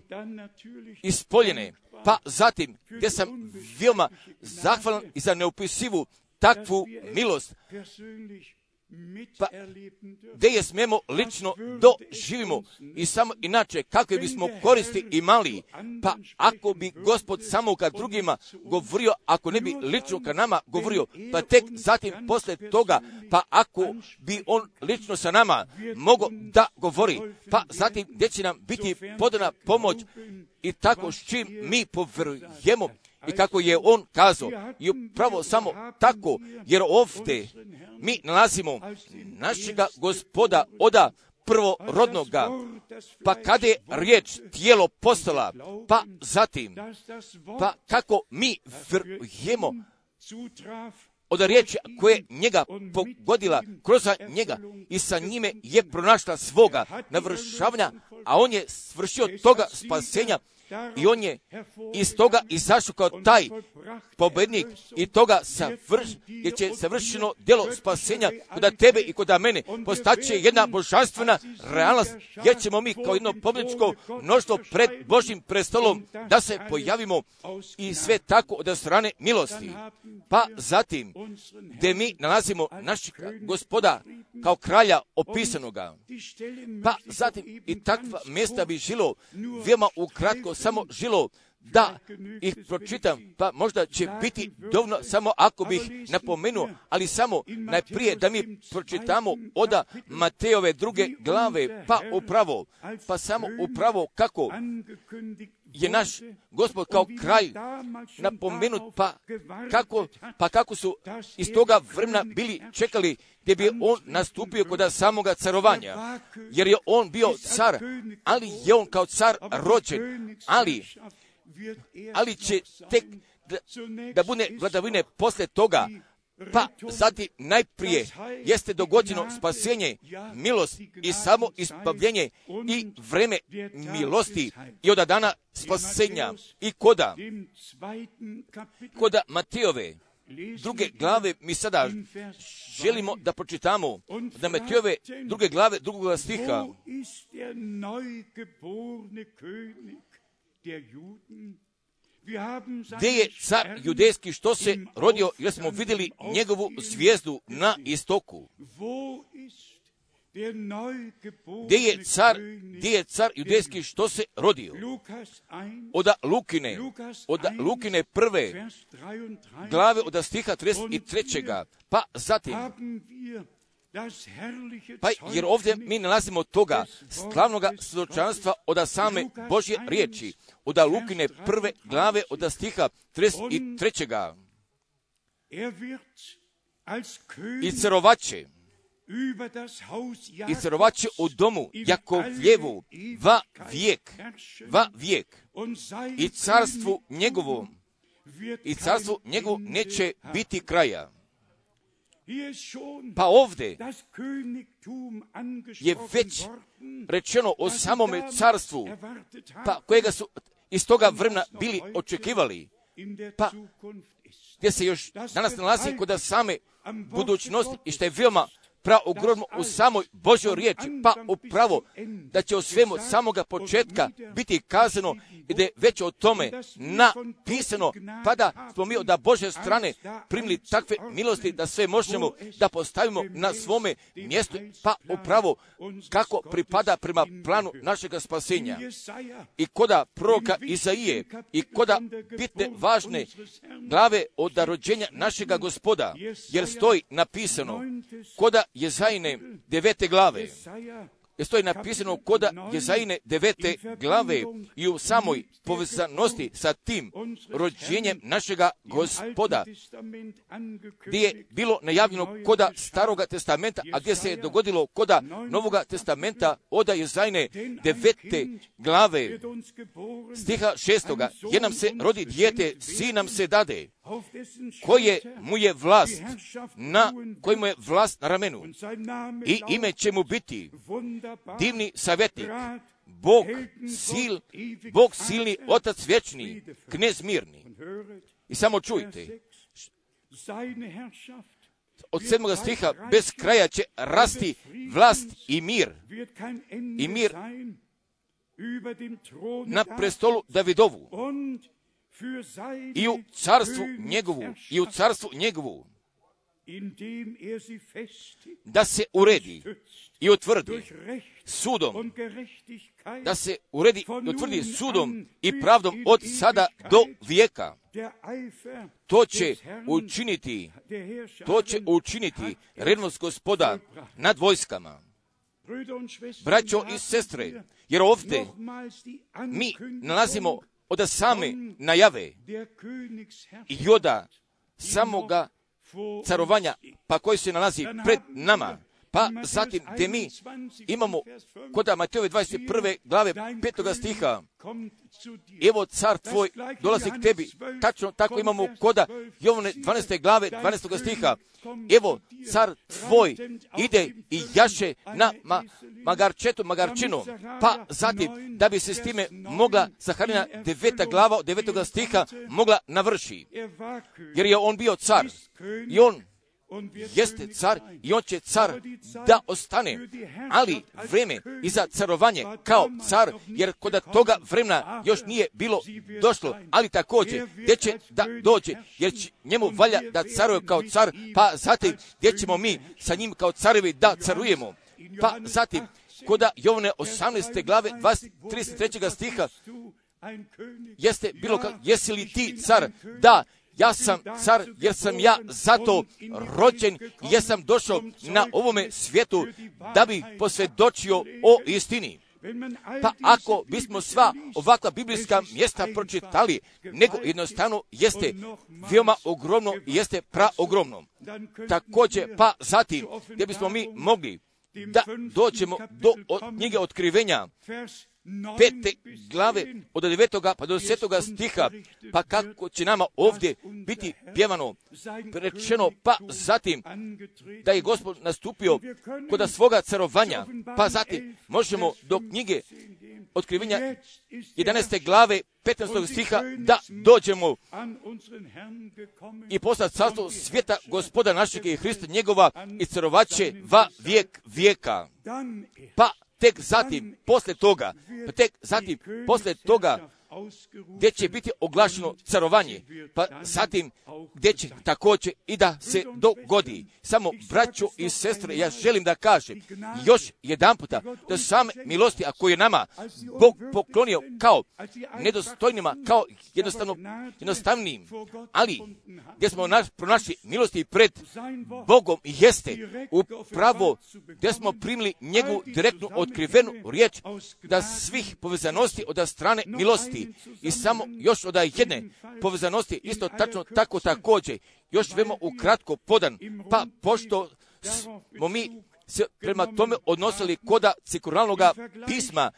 ispoljene, pa zatim gdje sam veoma zahvalan i za neopisivu takvu milost, pa gdje je smijemo lično doživimo i samo inače kakve bismo koristi imali, pa ako bi Gospod samo kad drugima govorio, ako ne bi lično ka nama govorio, pa tek zatim posle toga, pa ako bi on lično sa nama mogao da govori, pa zatim gdje će nam biti podana pomoć i tako s čim mi povjerujemo i kako je on kazao, i upravo samo tako, jer ovdje mi nalazimo našega Gospoda oda prvorodnoga, pa kada je riječ tijelo postala, pa zatim, pa kako mi vjerujemo od riječi koje njega pogodila kroz njega i sa njime je pronašla svoga navršavanja, a on je svršio toga spasenja i on je iz toga izašao kao taj pobednik i toga savrš, jer će savršeno djelo spasenja kod tebe i kod mene postaće jedna božanstvena realnost, jer ćemo mi kao jedno pobjedničko mnoštvo pred Božjim prestolom da se pojavimo i sve tako od strane milosti. Pa zatim, gdje mi nalazimo našeg Gospoda kao kralja opisanoga, pa zatim i takva mjesta bi žilo veoma ukratko samo žilo da ih pročitam, pa možda će biti dovoljno samo ako bih napomenuo, ali samo najprije da mi pročitamo oda Matejove druge glave, pa upravo, pa samo upravo kako je naš Gospod kao kralj napomenut, pa kako, pa kako su iz toga vremena bili čekali gdje bi on nastupio kod samoga carovanja, jer je on bio car, ali je on kao car rođen, ali ali će tek da, da bude vladavine posle toga, pa zatim najprije jeste dogođeno spasenje, milost i samo ispavljenje i vreme milosti i od dana spasenja i koda, koda Matejove druge glave mi sada želimo da pročitamo, da Matejove druge glave drugog stiha. Gdje je car judejski što se rodio, jer smo vidjeli njegovu zvijezdu na istoku. Gdje je car, gdje je car judejski što se rodio? Od Lukine, od Lukine prve glave od stiha trideset tri. Pa zatim, pa jer ovdje mi nalazimo toga slavnoga svjedočanstva od same Božje riječi, od Lukine prve glave od stiha trideset tri. I carovaće, i carovaće u domu Jakovljevu va vijek, va vijek, i carstvu njegovom, i carstvu njegovom neće biti kraja. Pa ovdje je već rečeno o samome carstvu, pa kojega su iz toga vremena bili očekivali, pa gdje se još danas nalazi kod same budućnosti i što je veoma praogromno u samoj Božjoj riječi, pa upravo da će o svemu samoga početka biti kazano i da je već o tome napisano, pa da smo mi od Božje strane primili takve milosti da sve možemo da postavimo na svome mjestu, pa upravo kako pripada prema planu našega spasenja. I koda proroka Izaije i koda bitne važne glave od rođenja našega Gospoda, jer stoji napisano koda Jezajine devete glave, jer to je napisano koda Jezajine devete glave i u samoj povezanosti sa tim rođenjem našega Gospoda, gdje je bilo najavljeno koda Staroga testamenta, a gdje se je dogodilo koda Novoga testamenta od Jezajine devete glave, stiha šestoga, jer nam se rodi dijete, sin nam se dade, koje mu je vlast na, koji mu je vlast na ramenu, i ime će mu biti divni savjetnik, Bog sil, Bog silni, Otac vječni, knez mirni. I samo čujte, od sedmoga stiha, bez kraja će rasti vlast i mir, i mir na prestolu Davidovu, i u carstvu njegovu, i u carstvu njegovu, da se uredi i utvrdi sudom, da se uredi i utvrdi sudom i pravdom od sada do vijeka. To će učiniti, to će učiniti revnost Gospoda nad vojskama. Braćo i sestre, jer ovdje mi nalazimo od same najave i od samoga carovanja, pa koji se nalazi pred nama, pa zatim gdje mi imamo kod Matejove dvadeset prve glave petoga stiha, evo car tvoj dolazi k tebi, tačno tako imamo kod Jovane dvanaeste glave dvanaestog stiha, evo car tvoj ide i jaše na ma, magarčetu, magarčinu, pa zatim da bi se s time mogla Zaharina deveta glava od devetoga stiha mogla navrši, jer je on bio car i on jeste car i on će car da ostane, ali vreme i za carovanje kao car, jer kod toga vremena još nije bilo došlo, ali također gdje će da dođe, jer će njemu valja da caruje kao car, pa zatim gdje ćemo mi sa njim kao carevi da carujemo, pa zatim kod Jovane osamnaeste glave trideset trećeg stiha jeste bilo kao, jesi li ti car? Da, ja sam car, jer sam ja zato rođen, jer sam došao na ovome svijetu da bi posvjedočio o istini. Pa ako bismo sva ovakva biblijska mjesta pročitali, nego jednostavno jeste veoma ogromno i jeste praogromno. Također, pa zatim, gdje bismo mi mogli da dođemo do knjige Otkrivenja, pete glave od devetoga pa do desetoga stiha, pa kako će nama ovdje biti pjevano, rečeno, pa zatim da je Gospod nastupio kod svoga carovanja, pa zatim možemo do knjige Otkrivenja jedanaeste glave petnaestog stiha da dođemo i postati carstvo svijeta Gospoda našeg i Hrista njegova i carovaće va vijek vijeka. Pa tek zatim, poslije toga, pa tek zatim, poslije toga, gdje će biti oglašeno carovanje, pa zatim gdje će također i da se dogodi. Samo, braćo i sestre, ja želim da kažem još jedan puta da same milosti, a koje je nama Bog poklonio kao nedostojnima, kao jednostavno, jednostavnim, ali gdje smo naš, pronašli milosti pred Bogom jeste upravo gdje smo primili njegovu direktnu otkrivenu riječ da svih povezanosti od strane milosti i samo još od jedne povezanosti isto tačno tako također još vemo ukratko podan, pa pošto smo mi se prema tome odnosili koda cirkularnog pisma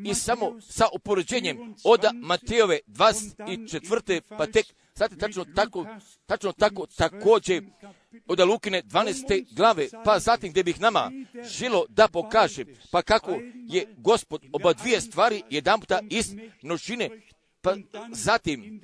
i samo sa upoređenjem od Matejove dvadeset četvrte pa tek znate tačno tako, tačno tako također od Lukine dvanaeste glave, pa zatim gdje bih nama želo da pokaže, pa kako je Gospod oba dvije stvari jedan puta iz množine, pa zatim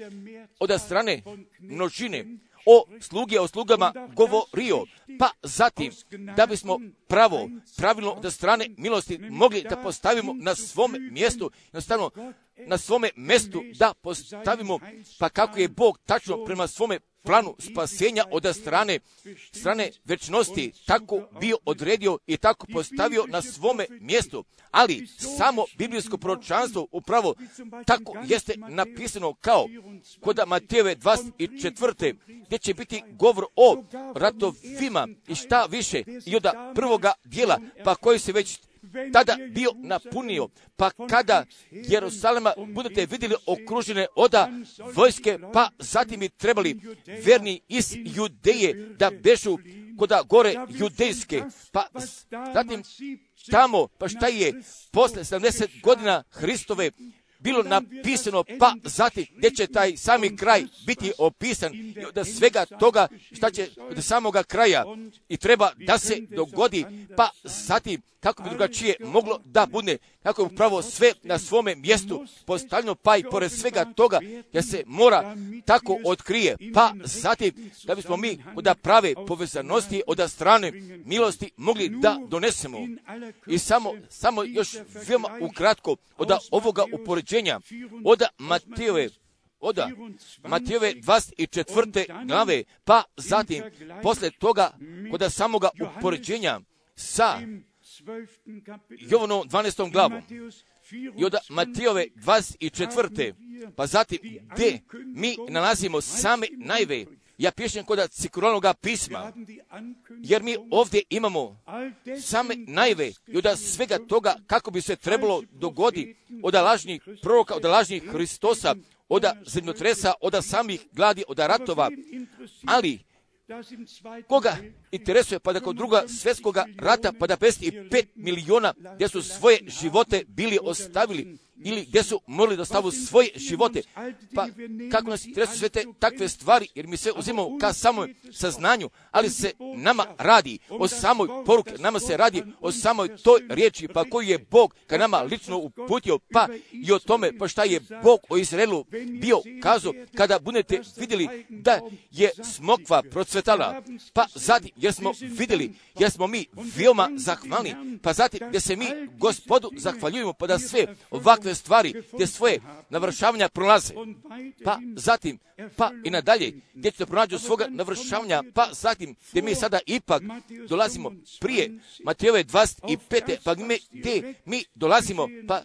od strane množine o sluge, o slugama govorio, pa zatim da bismo pravo, pravilno od strane milosti mogli da postavimo na svome mjestu, jednostavno na svome mjestu da postavimo, pa kako je Bog tačno prema svome planu spasenja od strane, strane večnosti tako bio odredio i tako postavio na svome mjestu. Ali samo biblijsko proročanstvo upravo tako jeste napisano kao kod Matejove dvadeset četvrte gdje će biti govor o ratovima i šta više i od prvoga dijela, pa koji se već tada bio napunio, pa kada Jerusalema budete vidjeli okružene oda vojske, pa zatim bi trebali verni iz Judeje da bežu koda gore judejske, pa zatim tamo, pa šta je posle sedamdeset godina Hristove bilo napisano, pa zatim gdje će taj sami kraj biti opisan, da svega toga šta će do samoga kraja i treba da se dogodi, pa zatim kako bi drugačije moglo da bude, kako je upravo sve na svome mjestu postavljeno, pa i pored svega toga da se mora tako otkrije, pa zatim da bismo mi od prave povezanosti od strane milosti mogli da donesemo. I samo, samo još veoma ukratko od ovoga upoređenja, od Matejove, od Matejove dvadeset četvrte glave, pa zatim posle toga kod samoga upoređenja sa Jovanom dvanaestom glavom i od Matejove dvadeset četvrte pa zatim gdje mi nalazimo same najve. Ja pišem kod cirkularnog pisma, jer mi ovdje imamo same najve i od svega toga kako bi se trebalo dogoditi od lažnih proroka, od lažnih Hristosa, od zemljotresa, od samih gladi, od ratova, ali koga interesuje pa da kod druga svjetskoga rata pa da pedeset pet miliona gdje su svoje živote bili ostavili ili gdje su morali da ostavu svoje živote, pa kako nas interesuje sve te takve stvari, jer mi sve uzimamo ka samoj saznanju, ali se nama radi o samoj poruke, nama se radi o samoj toj riječi, pa koju je Bog ka nama lično uputio, pa i o tome pa šta je Bog o Izraelu bio kazao kada budete vidjeli da je smokva procvetala, pa zatim jer smo vidjeli, jer smo mi veoma zahvalni, pa zatim gdje se mi Gospodu zahvaljujemo pa da sve ovakve stvari gdje svoje navršavanja prolaze, pa zatim pa i nadalje gdje ćete pronađu svoga navršavanja, pa zatim gdje mi sada ipak dolazimo prije Matejove dvadeset pete pa mi, gdje mi dolazimo, pa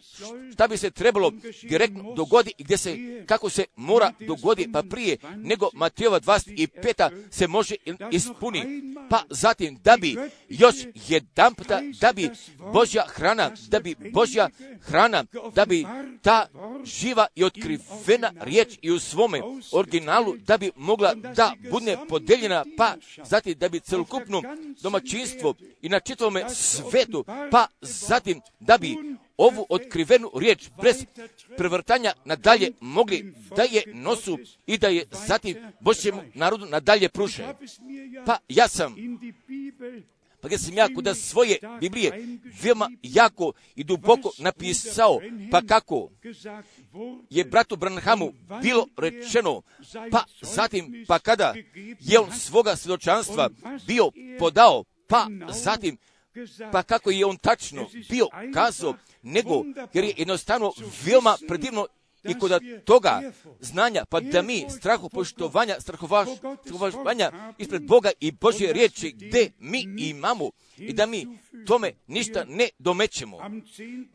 šta bi se trebalo direktno dogodi i gdje se, kako se mora dogodi, pa prije nego Matejova dvadeset peta se može ispuni, pa zatim da bi još jedan puta, da bi Božja hrana, da bi Božja hrana, da bi ta živa i otkrivena riječ i u svome originalu da bi mogla da bude podeljena, pa zatim da bi celokupno domaćinstvo i na čitavome svetu, pa zatim da bi ovu otkrivenu riječ bez prevrtanja nadalje mogli da je nosu i da je zatim Božjem narodu nadalje pruže. Pa ja sam Pa gdje sam ja kod svoje Biblije veoma jako i duboko napisao, pa kako je bratu Branhamu bilo rečeno, pa zatim, pa kada je on svoga svjedočanstva bio podao, pa zatim, pa kako je on tačno bio kazao, nego jer je jednostavno veoma predivno i kod toga znanja, pa da mi strahu poštovanja, strahovanja ispred Boga i Božje riječi gdje mi imamo i da mi tome ništa ne domećemo.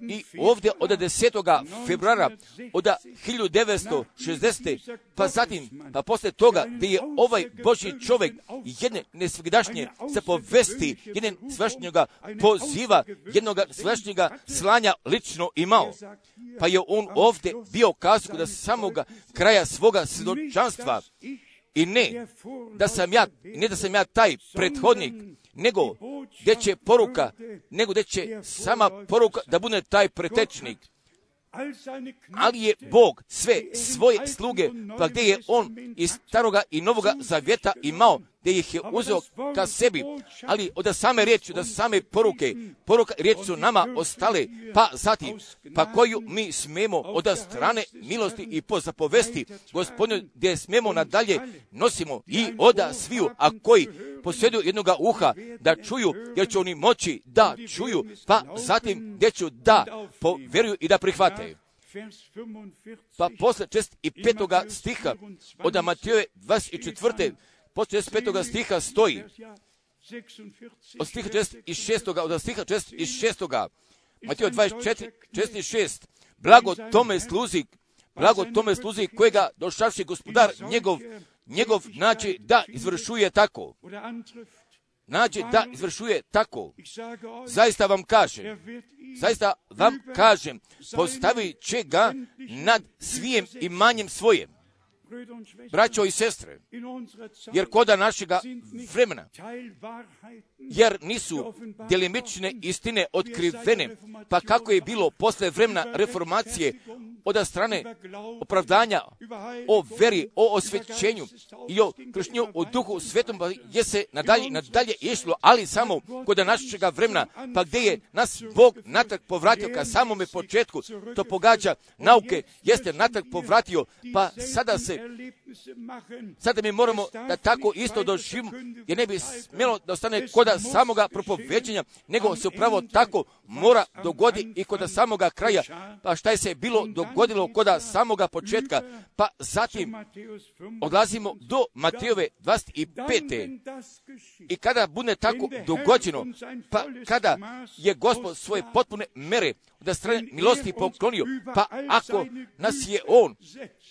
I ovdje od desetoga februara od hiljadu devetsto šezdesete pa zatim, pa posle toga gdje je ovaj Božji čovjek jedne nesvegdašnje se povesti, jedne svešćnjega poziva, jednog svešćnjega slanja lično imao. Pa je on ovdje bio kazao da samoga kraja svoga svjedočanstva i ne da sam ja, ne da sam ja taj prethodnik, nego gdje će poruka, nego gdje će sama poruka da bude taj pretečnik. Ali je Bog sve svoje sluge, pa gdje je on iz staroga i novoga zavjeta imao, gdje ih je uzeo ka sebi, ali od same riječi, od same poruke, poruka riječi su nama ostale, pa zatim, pa koju mi smemo od strane milosti i po zapovesti Gospodinu, gdje smemo nadalje nosimo i oda sviju, a koji posjeduju jednoga uha da čuju, jer će oni moći da čuju, pa zatim gdje ću da povjeruju i da prihvate. Pa posle četrdeset petoga stiha od Matejove dvadeset četvrte posle četrdeset petoga stiha stoji, od stiha četrdeset šestoga od stiha četrdeset šestoga Matejova dvadeset četiri, četrdeset šest blago tome sluzi, blago tome sluzi kojega došavši gospodar njegov, njegov nađe da izvršuje tako. Nađe da izvršuje tako. Zaista vam kaže, zaista vam kažem, postavit će ga nad svijem imanjem svojem. Braćo i sestre, jer koda našega vremena, jer nisu djelimične istine otkrivene, pa kako je bilo posle vremena reformacije od strane opravdanja o veri, o osvećenju i o kršnju u duhu svetom, pa je se nadalje, nadalje išlo, ali samo koda našega vremena, pa gdje je nas Bog natrag povratio ka samome početku, to pogađa nauke, jeste natrag povratio, pa sada se Sada mi moramo da tako isto doživimo, jer ne bi smjelo da ostane koda samoga propoveđenja, nego se upravo tako mora dogodi i koda samoga kraja. Pa šta je se bilo dogodilo koda samoga početka, pa zatim odlazimo do Matejove dvadeset pete. I kada bude tako dogođeno, pa kada je Gospod svoje potpune mere da strane milosti poklonio, pa ako nas je On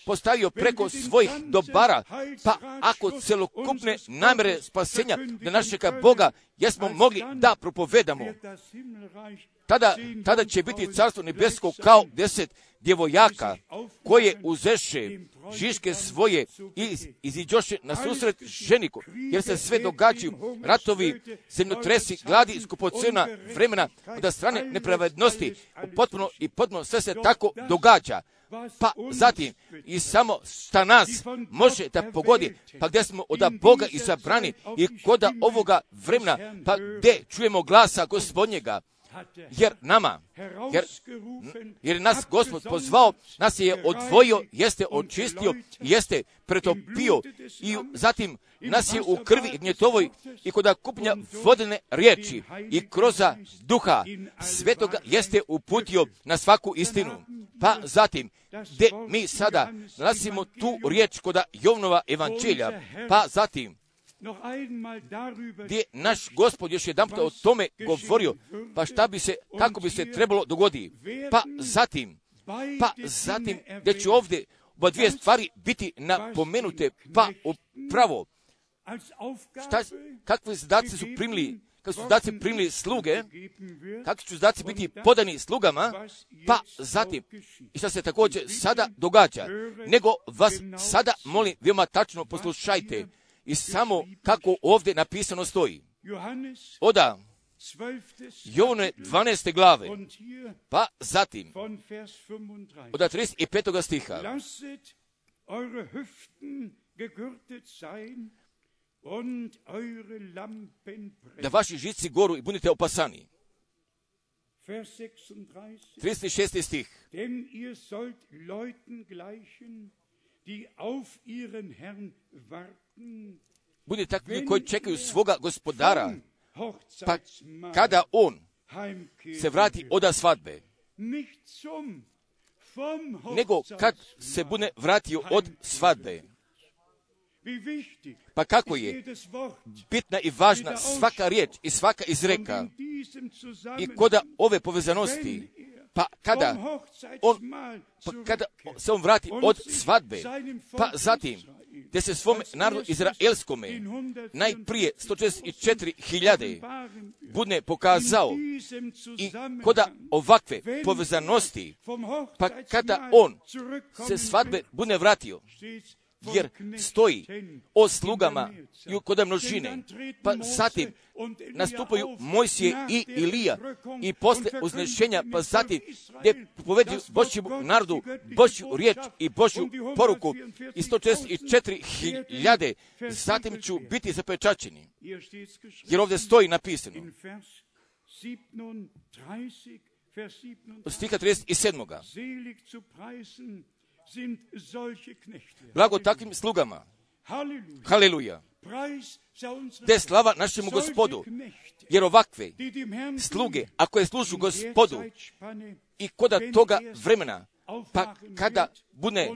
postavio preko svojih dobara, pa ako celokupne namere spasenja da našega Boga jesmo mogli da propovedamo, tada, tada će biti carstvo nebesko kao deset djevojaka koje uzeše žiške svoje i iziđoše na susret ženiku, jer se sve događaju ratovi, zemljotresi, gladi, skupocena vremena od strane nepravednosti, potpuno i potpuno sve se tako događa. Pa zatim i samo šta nas može da pogodi, pa gdje smo od Boga izabrani i koda ovoga vremena, pa gdje čujemo glasa Gospodnjega, jer nama, jer, jer nas Gospod pozvao, nas je odvojio, jeste očistio, jeste pretopio i zatim nas je u krvi gnjetovoj i koda kupnja vodene riječi i kroz duha svetoga jeste uputio na svaku istinu. Pa zatim, gdje mi sada nalazimo tu riječ koda Jovnova evanđelja, pa zatim, gdje naš Gospod još jedan puta o tome govorio, pa šta bi se, kako bi se trebalo dogoditi. Pa zatim, pa zatim, gdje će ovdje oba dvije stvari biti napomenute, pa upravo, šta, kakve zadaci su primili, kako su zadaci primili sluge, kakvi su zadaci biti podani slugama, pa zatim, i šta se također sada događa, nego vas sada molim, veoma tačno poslušajte, i samo kako ovdje napisano stoji. Oda, Jovne dvanaeste glave, pa zatim, od trideset petog stiha. Da vaši žici goru i budite opasani. trideset šesti stih. Denn ihr sollt Leuten gleichen, die auf ihren Herrn warten. Budite takvi koji čekaju svoga gospodara, pa kada on se vrati od svadbe, nego kad se bude vratio od svadbe. Pa kako je bitna i važna svaka riječ i svaka izreka i koda ove povezanosti, pa kada on, pa kada se on vrati od svadbe, pa zatim gdje se svom narodu izraelskome najprije sto četrdeset četiri hiljade bude pokazao i koda ovakve povezanosti, pa kada on se svadbe bude vratio, jer stoji o slugama i kod množine, pa zatim nastupaju Mojsije i Ilija i posle uznešenja, pa zatim gdje povedu Božjem narodu Božju riječ i Božju poruku i sto četrdeset četiri hiljade, zatim ću biti zapečaćeni, jer ovdje stoji napisano od stiha trideset sedam. Blago takvim slugama. Haleluja. Te slava našemu Gospodu, jer ovakve sluge, ako je služu Gospodu i koda toga vremena, pa kada bude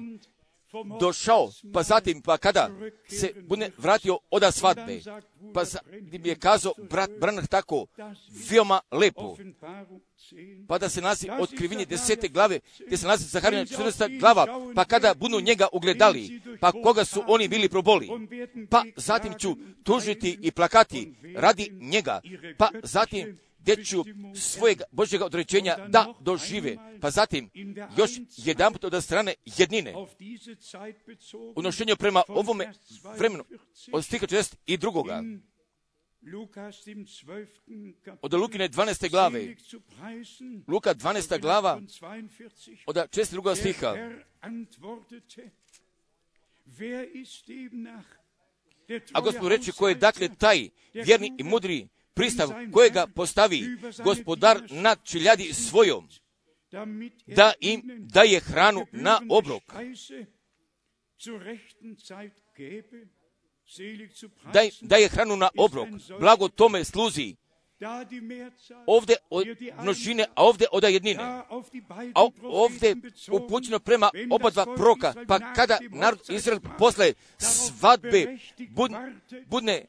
došao, pa zatim, pa kada se bude vratio od svadbe, pa zatim je kazao brat Branham tako veoma lepo, pa da se nalazi otkrivenje desete glave, gdje se nalazi Zaharija četrnaesta glava, pa kada budu njega ugledali, pa koga su oni bili proboli, pa zatim ću tužiti i plakati radi njega, pa zatim gdje ću svojeg Božjega određenja da dožive. Pa zatim, još jedan put od strane jednine. Unošenje prema ovome vremenu od stiha četrdeset drugoga. Od Lukine dvanaeste glave. Luka dvanaesta glava od četrdeset drugog stiha. A Gospod reče, ko je dakle taj vjerni i mudri pristav kojega postavi gospodar nad čeljadi svojom, da im daje hranu na obrok. Daj, daje hranu na obrok, blago tome sluzi. Ovdje od množine, a ovdje od jednine. A ovdje upućeno prema oba dva proroka, pa kada narod Izrael posle svadbe bud, budne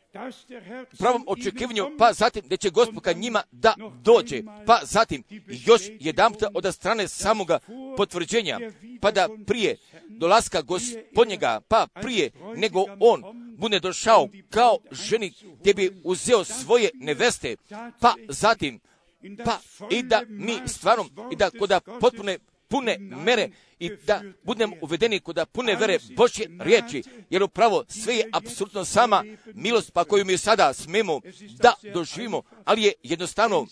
u pravom očekivanju, pa zatim da će Gospod ka njima da dođe, pa zatim još jedan puta od strane samoga potvrđenja, pa da prije dolaska Gospodnjega, pa prije nego on bude došao kao ženik gdje bi uzeo svoje neveste, pa zatim, pa i da mi stvarno, i da koda potpune pune mere i da budemo uvedeni kod pune vere Božje riječi, jer upravo sve je apsolutno sama milost pa koju mi sada smemo da doživimo, ali je jednostavno,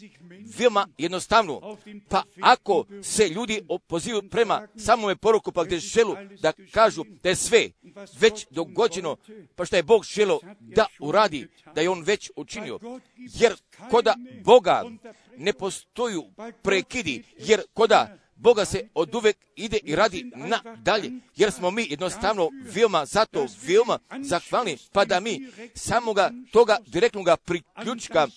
veoma jednostavno. Pa ako se ljudi pozivaju prema samome poruku, pa gdje želu da kažu da je sve već dogođeno, pa što je Bog želo da uradi, da je on već učinio, jer koda Boga ne postoju prekidi, jer koda Boga se od uvek ide i radi nadalje, jer smo mi jednostavno veoma zato, veoma zahvalni, pa da mi samoga toga direktnoga priključka,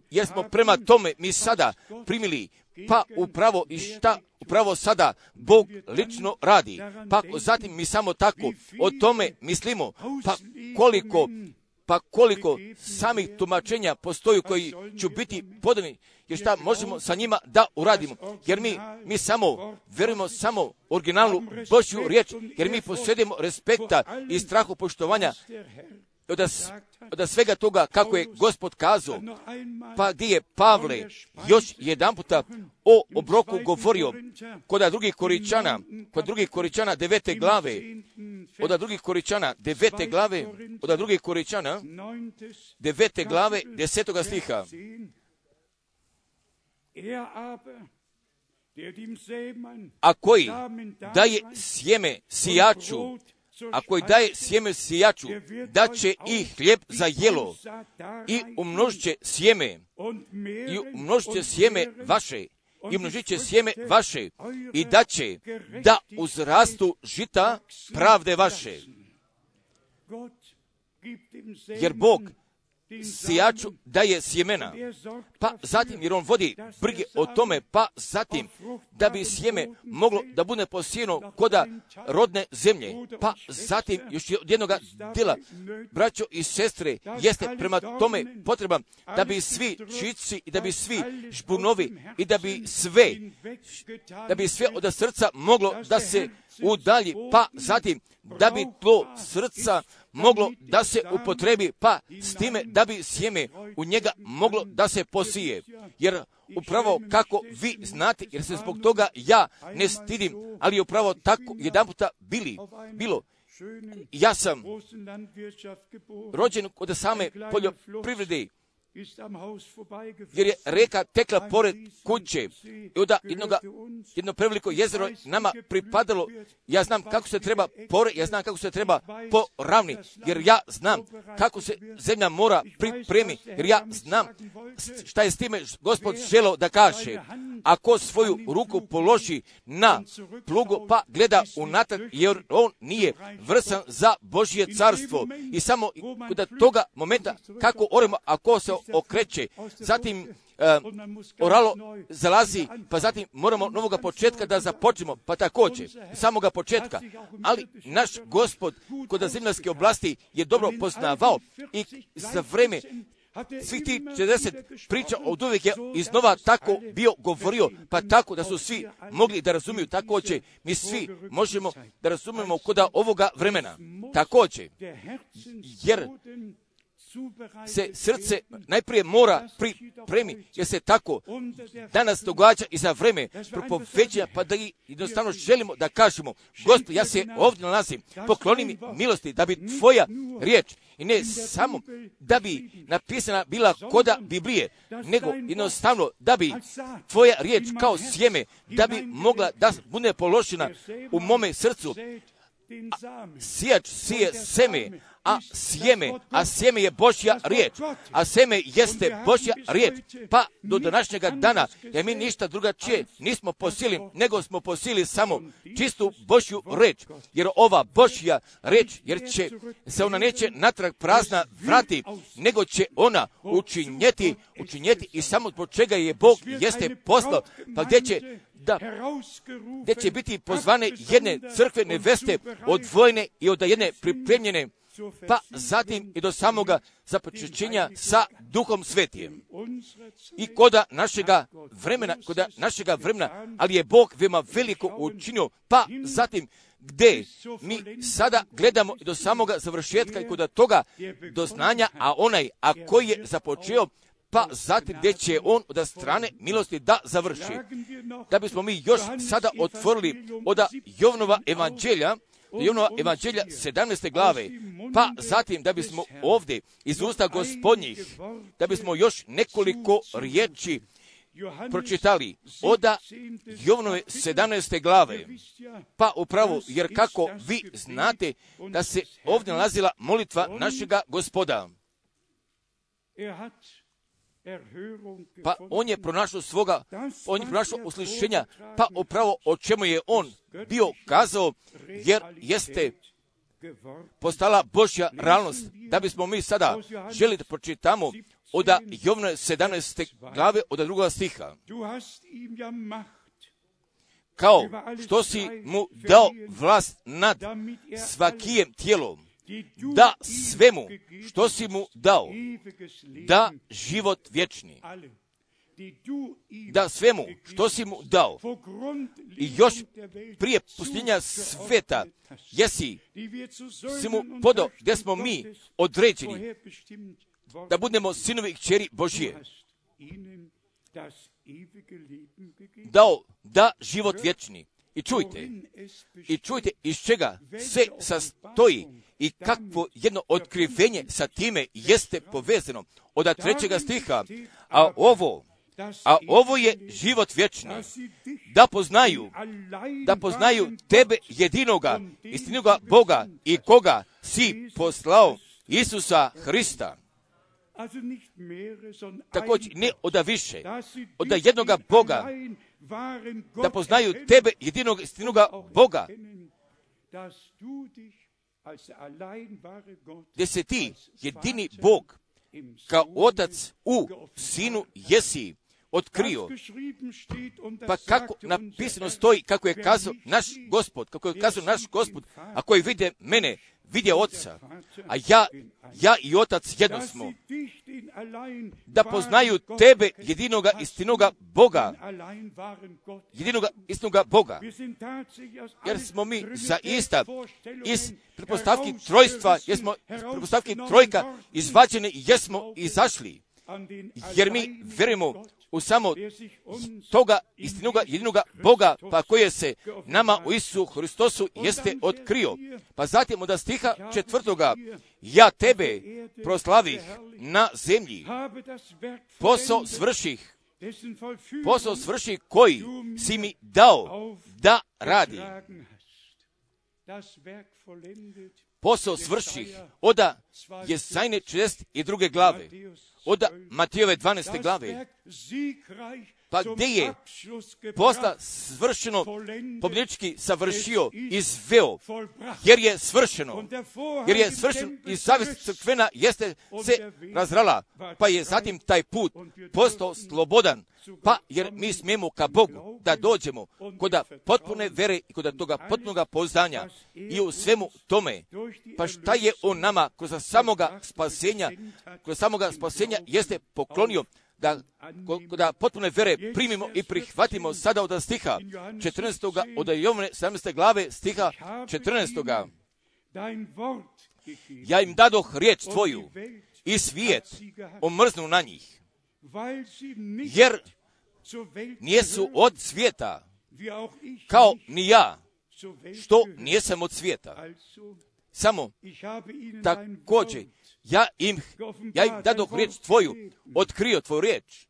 jer smo prema tome mi sada primili, pa upravo i šta upravo sada Bog lično radi, pa zatim mi samo tako o tome mislimo, pa koliko pa koliko samih tumačenja postoji koji će biti podani, jer šta možemo sa njima da uradimo, jer mi, mi samo verujemo samo originalnu Božju riječ, jer mi posjedimo respekta i strahu poštovanja od, od svega toga kako je Gospod kazao, pa gdje je Pavle još jedan puta o obroku govorio kod drugih Koričana, kod drugih Koričana devete glave, od drugih Koričana devete glave, od drugih Koričana devete glave desetoga stiha. A koji daje sjeme sijaču, a koji daje sjeme sijaču, da će i hljeb za jelo i umnožit će sjeme, i umnožit će sjeme vaše, i umnožit će sjeme vaše, i da će da uzrastu žita pravde vaše. Jer Bog sijaču daje sjemena, pa zatim jer on vodi brige o tome, pa zatim da bi sjeme moglo da bude posijeno koda rodne zemlje, pa zatim još od jednog dela, braćo i sestre, jeste prema tome potreba da bi svi čici i da bi svi žbunovi i da bi sve, da bi sve od srca moglo da se udalji, pa zatim da bi to srca moglo da se upotrebi, pa s time da bi sjeme u njega moglo da se posije. Jer upravo kako vi znate, jer se zbog toga ja ne stidim, ali upravo tako jedan puta bili, bilo. Ja sam rođen kod same poljoprivrede, jer je reka tekla pored kuće i onda jednoga, jedno preveliko jezero nama pripadalo. Ja znam kako se treba pore, ja znam kako se treba poravni, jer ja znam kako se zemlja mora pripremi, jer ja znam šta je s time Gospod želeo da kaže. Ako svoju ruku položi na plugu, pa gleda unatrag, jer on nije vrsan za Božje carstvo. I samo kod toga momenta kako oremo, ako se okreće, zatim uh, oralo zalazi, pa zatim moramo novoga početka da započnemo, pa također, samoga početka. Ali naš Gospod kod zemaljske oblasti je dobro poznavao i za vreme svih tih četrdeset priča od uvijek je iznova tako bio govorio, pa tako da su svi mogli da razumiju. Također, mi svi možemo da razumijemo kod ovoga vremena. Također, jer se srce najprije mora pripremi, jer se tako danas događa i za vreme propoveđenja, pa da jednostavno želimo da kažemo, Gospod, ja se ovdje nalazim, pokloni mi milosti da bi tvoja riječ, i ne samo da bi napisana bila koda Biblije, nego jednostavno da bi tvoja riječ kao sjeme, da bi mogla da bude položena u mome srcu. Sijač sije seme, a sjeme, a sjeme je Božja riječ, a sjeme jeste Božja riječ, pa do današnjega dana, jer mi ništa drugačije nismo posili, nego smo posili samo čistu Božju riječ, jer ova Božja riječ, jer će se ona neće natrag prazna vrati, nego će ona učinjeti, učinjeti i samo zbog čega je Bog jeste poslao, pa gdje će da, gdje će biti pozvane jedne crkve neveste, odvojene i od jedne pripremljene, pa zatim i do samoga započećenja sa Duhom Svetijem. I koda našega vremena, koda našega vremena, ali je Bog veoma veliko učinio, pa zatim gdje mi sada gledamo i do samoga završetka i koda toga doznanja, a onaj, a koji je započeo, pa zatim gdje će on od strane milosti da završi. Da bismo mi još sada otvorili od Jovanova evanđelja, Jovanova evanđelja sedamnaeste glave, pa zatim da bismo ovdje iz usta Gospodnjih, da bismo još nekoliko riječi pročitali od Jovanove sedamnaeste glave, pa upravo, jer kako vi znate da se ovdje nalazila molitva našega Gospoda. Pa on je pronašao svoga, on je pronašao uslišenja, pa upravo o čemu je on bio kazao, jer jeste postala Božja realnost. Da bismo mi sada želi da pročitamo od Jovanove sedamnaeste glave od drugoga stiha. Kao što si mu dao vlast nad svakijem tijelom, da svemu što si mu dao, da život vječni, da svemu što si mu dao, i još prije pustinja sveta, jesi si mu podao, gdje smo mi određeni da budemo sinovi i kćeri Božije, dao da život vječni. I čujte, i čujte iz čega se sastoji i kakvo jedno otkrivenje sa time jeste povezano od trećega stiha, a ovo, a ovo je život vječni, da poznaju, da poznaju tebe jedinoga, istinoga Boga i koga si poslao, Isusa Hrista. Također ne oda više, oda jednoga Boga, da poznaju tebe jedinog istinoga Boga, gdje se ti jedini Bog kao Otac u Sinu jesi otkrio. Pa kako napisano stoji, kako je kazao naš Gospod, kako je kazao naš Gospod, a koji vide mene, vide Oca, a ja, ja i Otac jedno smo. Da poznaju tebe jedinoga istinoga Boga, jedinoga istinoga Boga, jer smo mi zaista iz pretpostavki trojstva, jer smo iz pretpostavki trojka izvađeni i jesmo izašli, jer mi vjerujemo u samo toga istinoga jedinoga Boga, pa koje se nama u Isusu Hristosu jeste otkrio. Pa zatim od stiha četvrtoga, ja tebe proslavih na zemlji, posao svrših, posao svrših koji si mi dao da radi. Posao svrših oda Jesajne četrdeset druge glave, od Matijove dvanaeste glave, pa gdje je posla svršeno pobjednički savršio, izveo, jer je svršeno, jer je svršeno i zavist crkvena jeste se razrala, pa je zatim taj put postao slobodan, pa jer mi smijemo ka Bogu da dođemo kod potpune vere i kod toga potpunoga poznanja i u svemu tome, pa šta je on nama kroz samoga spasenja, kroz samoga spasenja jeste poklonio, da, da potpune vere primimo i prihvatimo sada od stiha četrnaestog od Jovane sedamnaeste glave stiha četrnaestog. Ja im dadoh riječ tvoju i svijet omrznu na njih, jer nijesu od svijeta, kao ni ja, što nijesam od svijeta. Samo također, ja im, ja im dadoh riječ tvoju, otkrio tvoju riječ,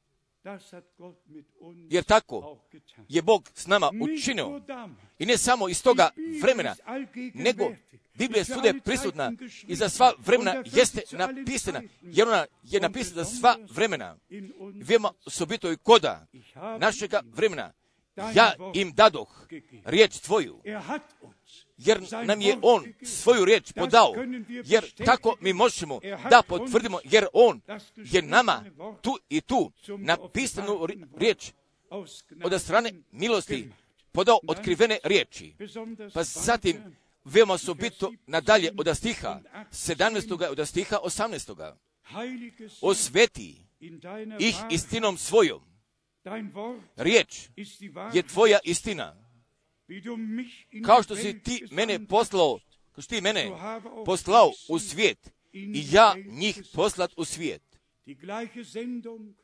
jer tako je Bog s nama učinio. I ne samo iz toga vremena, nego Biblija je svude prisutna i za sva vremena jeste napisana, jer ona je napisana za sva vremena. Veoma osobito i koda našega vremena. Ja im dadoh riječ tvoju, jer nam je on svoju riječ podao, jer tako mi možemo da potvrdimo, jer on je nama tu i tu napisanu riječ od strane milosti podao otkrivene riječi. Pa zatim veoma osobito nadalje od stiha sedamnaestog od stiha osamnaestog Osveti ih istinom svojom. Riječ je tvoja istina. Kao što si ti mene poslao, kao što ti mene poslao u svijet, i ja njih poslat u svijet.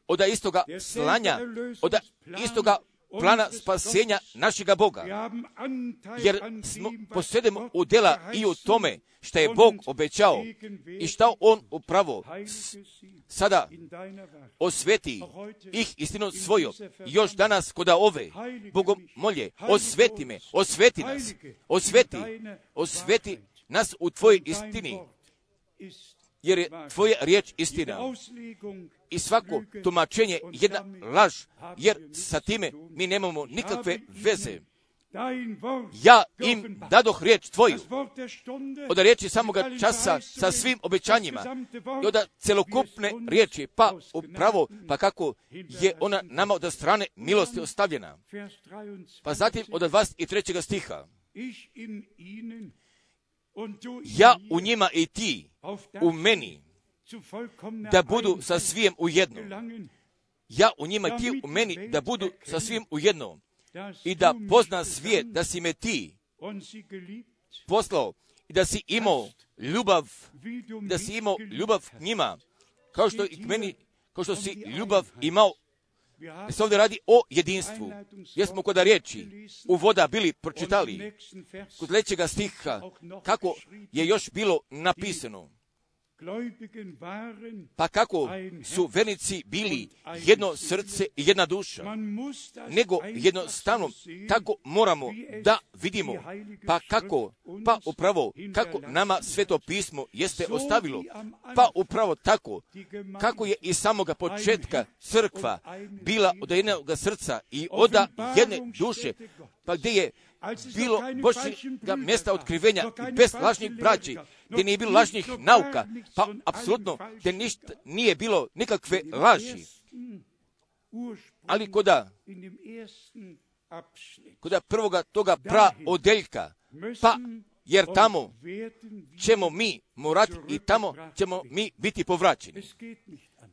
Od istoga slanja, od istoga plana spasenja našega Boga. Jer smo posjedemo udjela i u tome što je Bog obećao i što on upravo sada osveti ih istinom svojom. Još danas koda ove Bogom molje, osveti me, osveti nas, osveti, osveti nas u tvojoj istini, jer je tvoja riječ istina. I svako tumačenje je jedna laž, jer sa time mi nemamo nikakve veze. Ja im dadoh riječ tvoju, od riječi samoga časa sa svim obećanjima i od celokupne riječi, pa upravo, pa kako je ona nama od strane milosti ostavljena. Pa zatim od dvadeset trećeg stiha. Ja u njima i ti u meni, da budu sa svim u jedno. Ja u njima i ti u meni, da budu sa svim u jedno. I da pozna svijet da si me ti poslao i da si imao ljubav, da si imao ljubav k njima, kao što i k meni, kao što si ljubav imao. Se ovdje radi o jedinstvu. Jer smo kod riječi u voda bili pročitali kod sljedećega stiha kako je još bilo napisano. Pa kako su vernici bili jedno srce i jedna duša, nego jednostavno tako moramo da vidimo, pa kako, pa upravo kako nama Sveto pismo jeste ostavilo, pa upravo tako kako je iz samoga početka crkva bila od jednog srca i od jedne duše, pa gdje je bilo Božjega mjesta otkrivenja i bez lažnih braći, gdje nije bilo lažnih nauka, pa apsolutno gdje ništa nije bilo nikakve laži. Ali koda, koda prvoga toga pra odeljka, pa jer tamo ćemo mi morati i tamo ćemo mi biti povraćeni.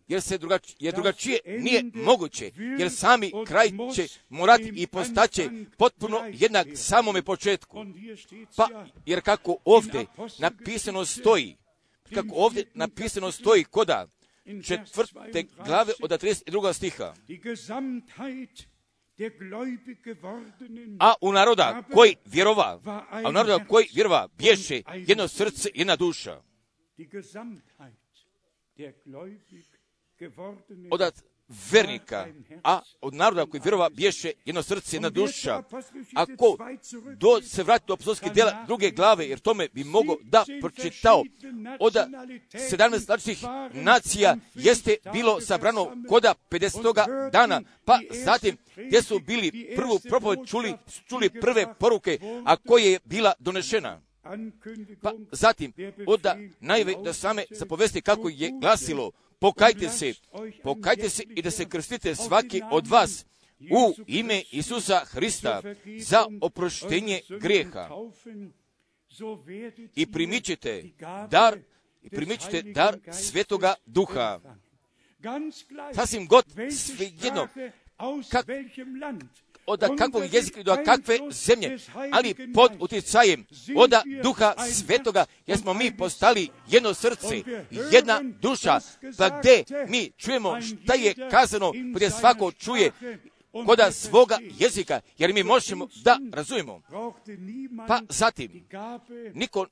Jer se drugačije, jer drugačije nije moguće, jer sami kraj će morati i postaće potpuno jednak samome početku. Pa, jer kako ovdje napisano stoji, kako ovdje napisano stoji koda četvrte glave od trideset drugog stiha. A u naroda koji vjerova, a u naroda koji vjerova bješe jedno srce, jedna duša. Od vernika, a od naroda koji vjerova bješe jedno srce, jedna duša. Ako do se vrati do apostolskih djela druge glave, jer tome bi mogo da pročitao od sedamnaest različitih nacija jeste bilo sabrano koda pedesetoga dana, pa zatim gdje su bili prvu propoved čuli, čuli prve poruke, a koje je bila donešena. Pa zatim od najve da same zapovesti kako je glasilo, pokajte se, pokajte se i da se krstite svaki od vas u ime Isusa Hrista za oproštenje grijeha. I primit ćete dar, i primit ćete dar Svetoga Duha. Sasvim god svejedno, kak, od kakvog jezika i do kakve zemlje, ali pod utjecajem od Duha Svetoga, jer smo mi postali jedno srce, jedna duša, pa gdje mi čujemo šta je kazano, gdje svako čuje koda svoga jezika, jer mi možemo da razumijemo. Pa zatim, niko,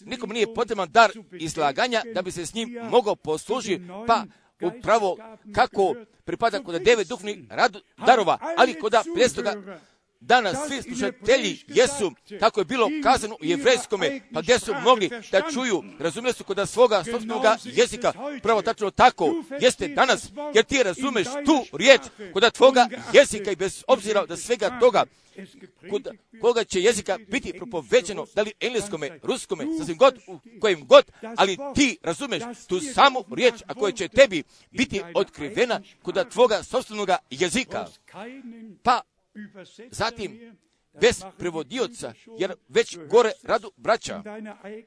nikom nije potreban dar izlaganja da bi se s njim mogao poslužiti, pa upravo kako pripada kod devet duhovnih darova, ali kod pedestoga dana svi slušatelji jesu, kako je bilo kazano u jevrejskome, pa gdje su mogli da čuju, razumjeli su kod svoga sopstvenoga jezika, pravo tačno tako jeste danas, jer ti razumeš tu riječ kod tvoga jezika i bez obzira da svega toga, kod koga će jezika biti propoveđeno, da li engleskome, ruskome, sasvim god, u kojem god, ali ti razumeš tu samu riječ, a koja će tebi biti otkrivena kod tvoga sopstvenoga jezika. Pa zatim, bez prevodioca, jer već gore radu braća,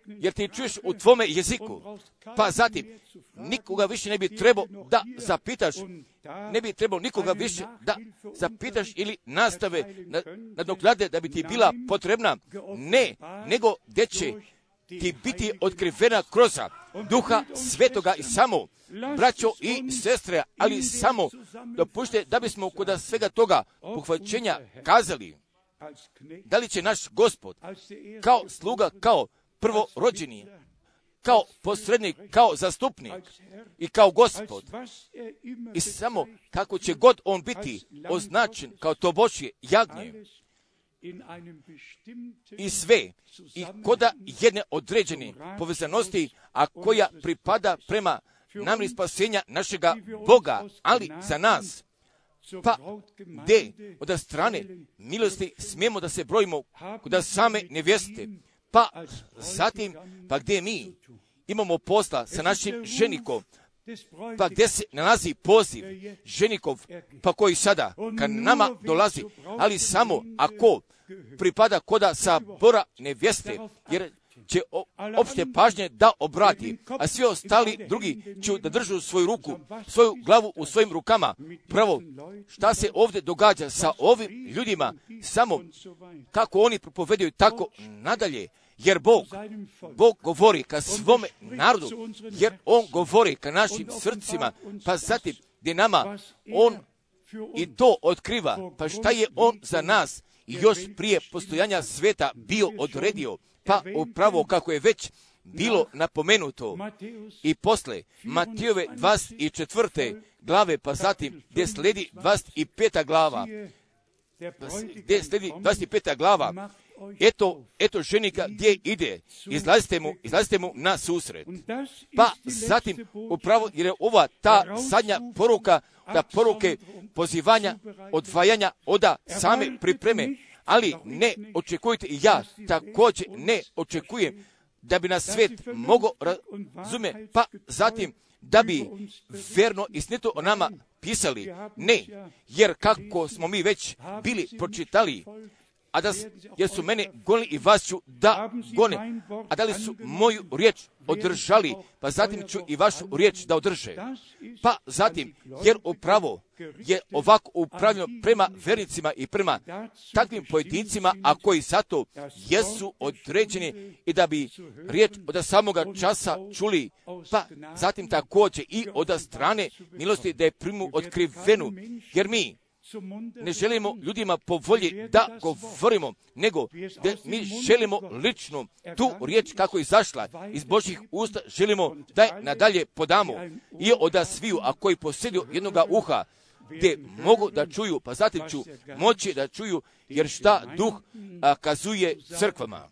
jer ti čuješ u tvome jeziku, pa zatim, nikoga više ne bi trebao da zapitaš, ne bi trebao nikoga više da zapitaš ili nastave nadoknade da bi ti bila potrebna, ne, nego gdje će ti biti otkrivena kroz Duha Svetoga i samo, braćo i sestre, ali samo dopušte da bismo kod svega toga pohvaćenja kazali, da li će naš Gospod kao sluga, kao prvorođeni, kao posrednik, kao zastupnik i kao Gospod, i samo kako će god on biti označen kao to Božje jagnje, i sve, i koda jedne određene povezanosti, a koja pripada prema namjeri spasenja našega Boga, ali za nas, pa gdje od strane milosti smijemo da se brojimo kod same nevjeste, pa zatim, pa gdje mi imamo posla sa našim ženikom, pa gdje se nalazi poziv ženikov, pa koji sada ka nama dolazi, ali samo ako pripada koda sabora nevjeste, jer će opšte pažnje da obrati, a svi ostali drugi će da držu svoju ruku, svoju glavu u svojim rukama. Prvo, šta se ovdje događa sa ovim ljudima, samo kako oni propovedaju tako nadalje, jer Bog, Bog govori ka svome narodu, jer On govori ka našim srcima, pa zatim gdje nama On i to otkriva, pa šta je On za nas i još prije postojanja sveta bio odredio, pa upravo kako je već bilo napomenuto i posle Matijove dvadeset četvrte glave, pa zatim gdje sledi dvadeset peta glava, gdje sledi dvadeset peta glava, eto, eto ženika gdje ide, izlazite mu, izlazite mu na susret. Pa zatim upravo, jer je ova ta zadnja poruka, da poruke pozivanja, odvajanja oda same pripreme, ali ne očekujte i ja također ne očekujem da bi nas svet mogao razume, pa zatim da bi verno i snito o nama pisali, ne, jer kako smo mi već bili pročitali, a da, jer su mene gonili i vas ću da gone, a da li su moju riječ održali, pa zatim ću i vašu riječ da održe. Pa zatim, jer upravo je ovako upravljeno prema vernicima i prema takvim pojedincima, a koji zato jesu određeni i da bi riječ od samoga časa čuli, pa zatim također i od strane milosti da je primu otkrivenu, jer mi ne želimo ljudima po volji da govorimo, nego da mi želimo lično tu riječ kako je izašla iz Božjih usta, želimo da je nadalje podamo i od sviju, a koji posjeduju jednoga uha, gdje mogu da čuju, pa zatim ću moći da čuju, jer šta duh a, kazuje crkvama.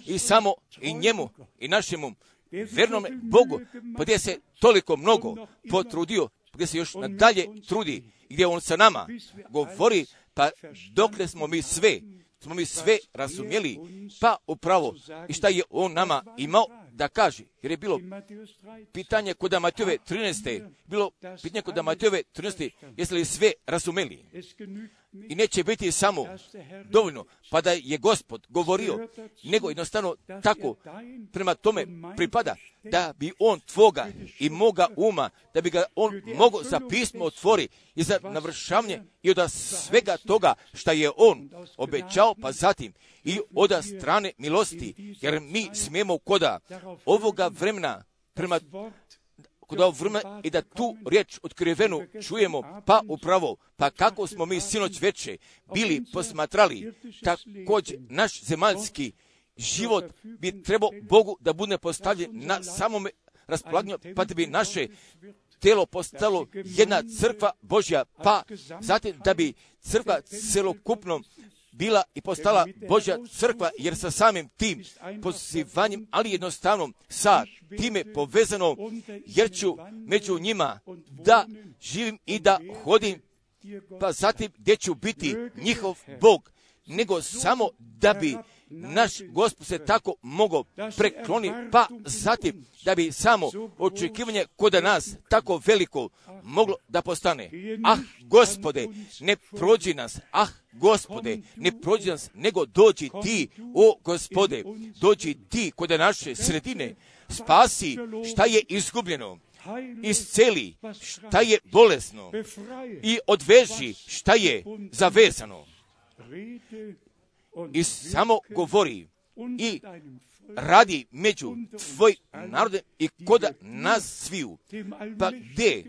I samo i njemu i našemu vernome Bogu, pa gdje se toliko mnogo potrudio, gdje se još nadalje trudi, gdje on sa nama govori, pa dokle smo mi sve, smo mi sve razumjeli, pa upravo i šta je on nama imao da kaže, jer je bilo pitanje kod Matejove trinaeste, bilo pitanje kod Matejove trinaeste, jeste li sve razumeli? I neće biti samo dovoljno, pa da je Gospod govorio, nego jednostavno tako prema tome pripada, da bi on tvoga i moga uma, da bi ga on mogao za pismo otvori i za navršavanje i od svega toga šta je on obećao, pa zatim i od strane milosti, jer mi smijemo koda ovoga vremena prema kod ovog vremena i da tu riječ otkrivenu čujemo, pa upravo, pa kako smo mi sinoć veče bili posmatrali, također naš zemaljski život bi trebao Bogu da bude postavljen na samome raspolaganju, pa da bi naše telo postalo jedna crkva Božja, pa zatim da bi crkva celokupno bila i postala Božja crkva, jer sa samim tim pozivanjem, ali jednostavno sa time povezano, jer ću među njima da živim i da hodim, pa zatim gdje ću biti njihov Bog, nego samo da bi naš Gospod se tako mogao prekloni, pa zatim da bi samo očekivanje kod nas tako veliko moglo da postane. Ah, Gospode, ne prođi nas, ah, Gospode, ne prođi nas, nego dođi ti, o Gospode, dođi ti kod naše sredine, spasi šta je izgubljeno, isceli šta je bolesno i odveži šta je zavezano. I samo govori i radi među tvoj narode i kod nas sviju. Pa gdje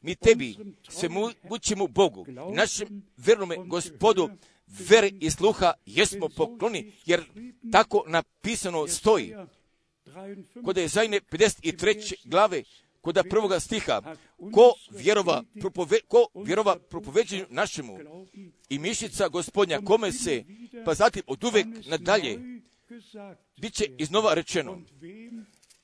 mi tebi se mučimo Bogu, našem vernome Gospodu, vere i sluha jesmo pokloni, jer tako napisano stoji. Kod je Ezajne pedeset treće glave, kod prvoga stiha, ko vjerova, propove, ko vjerova propoveđenju našemu i mišica Gospodnja, kome se, pa zatim od uvek nadalje, bit će iznova rečeno.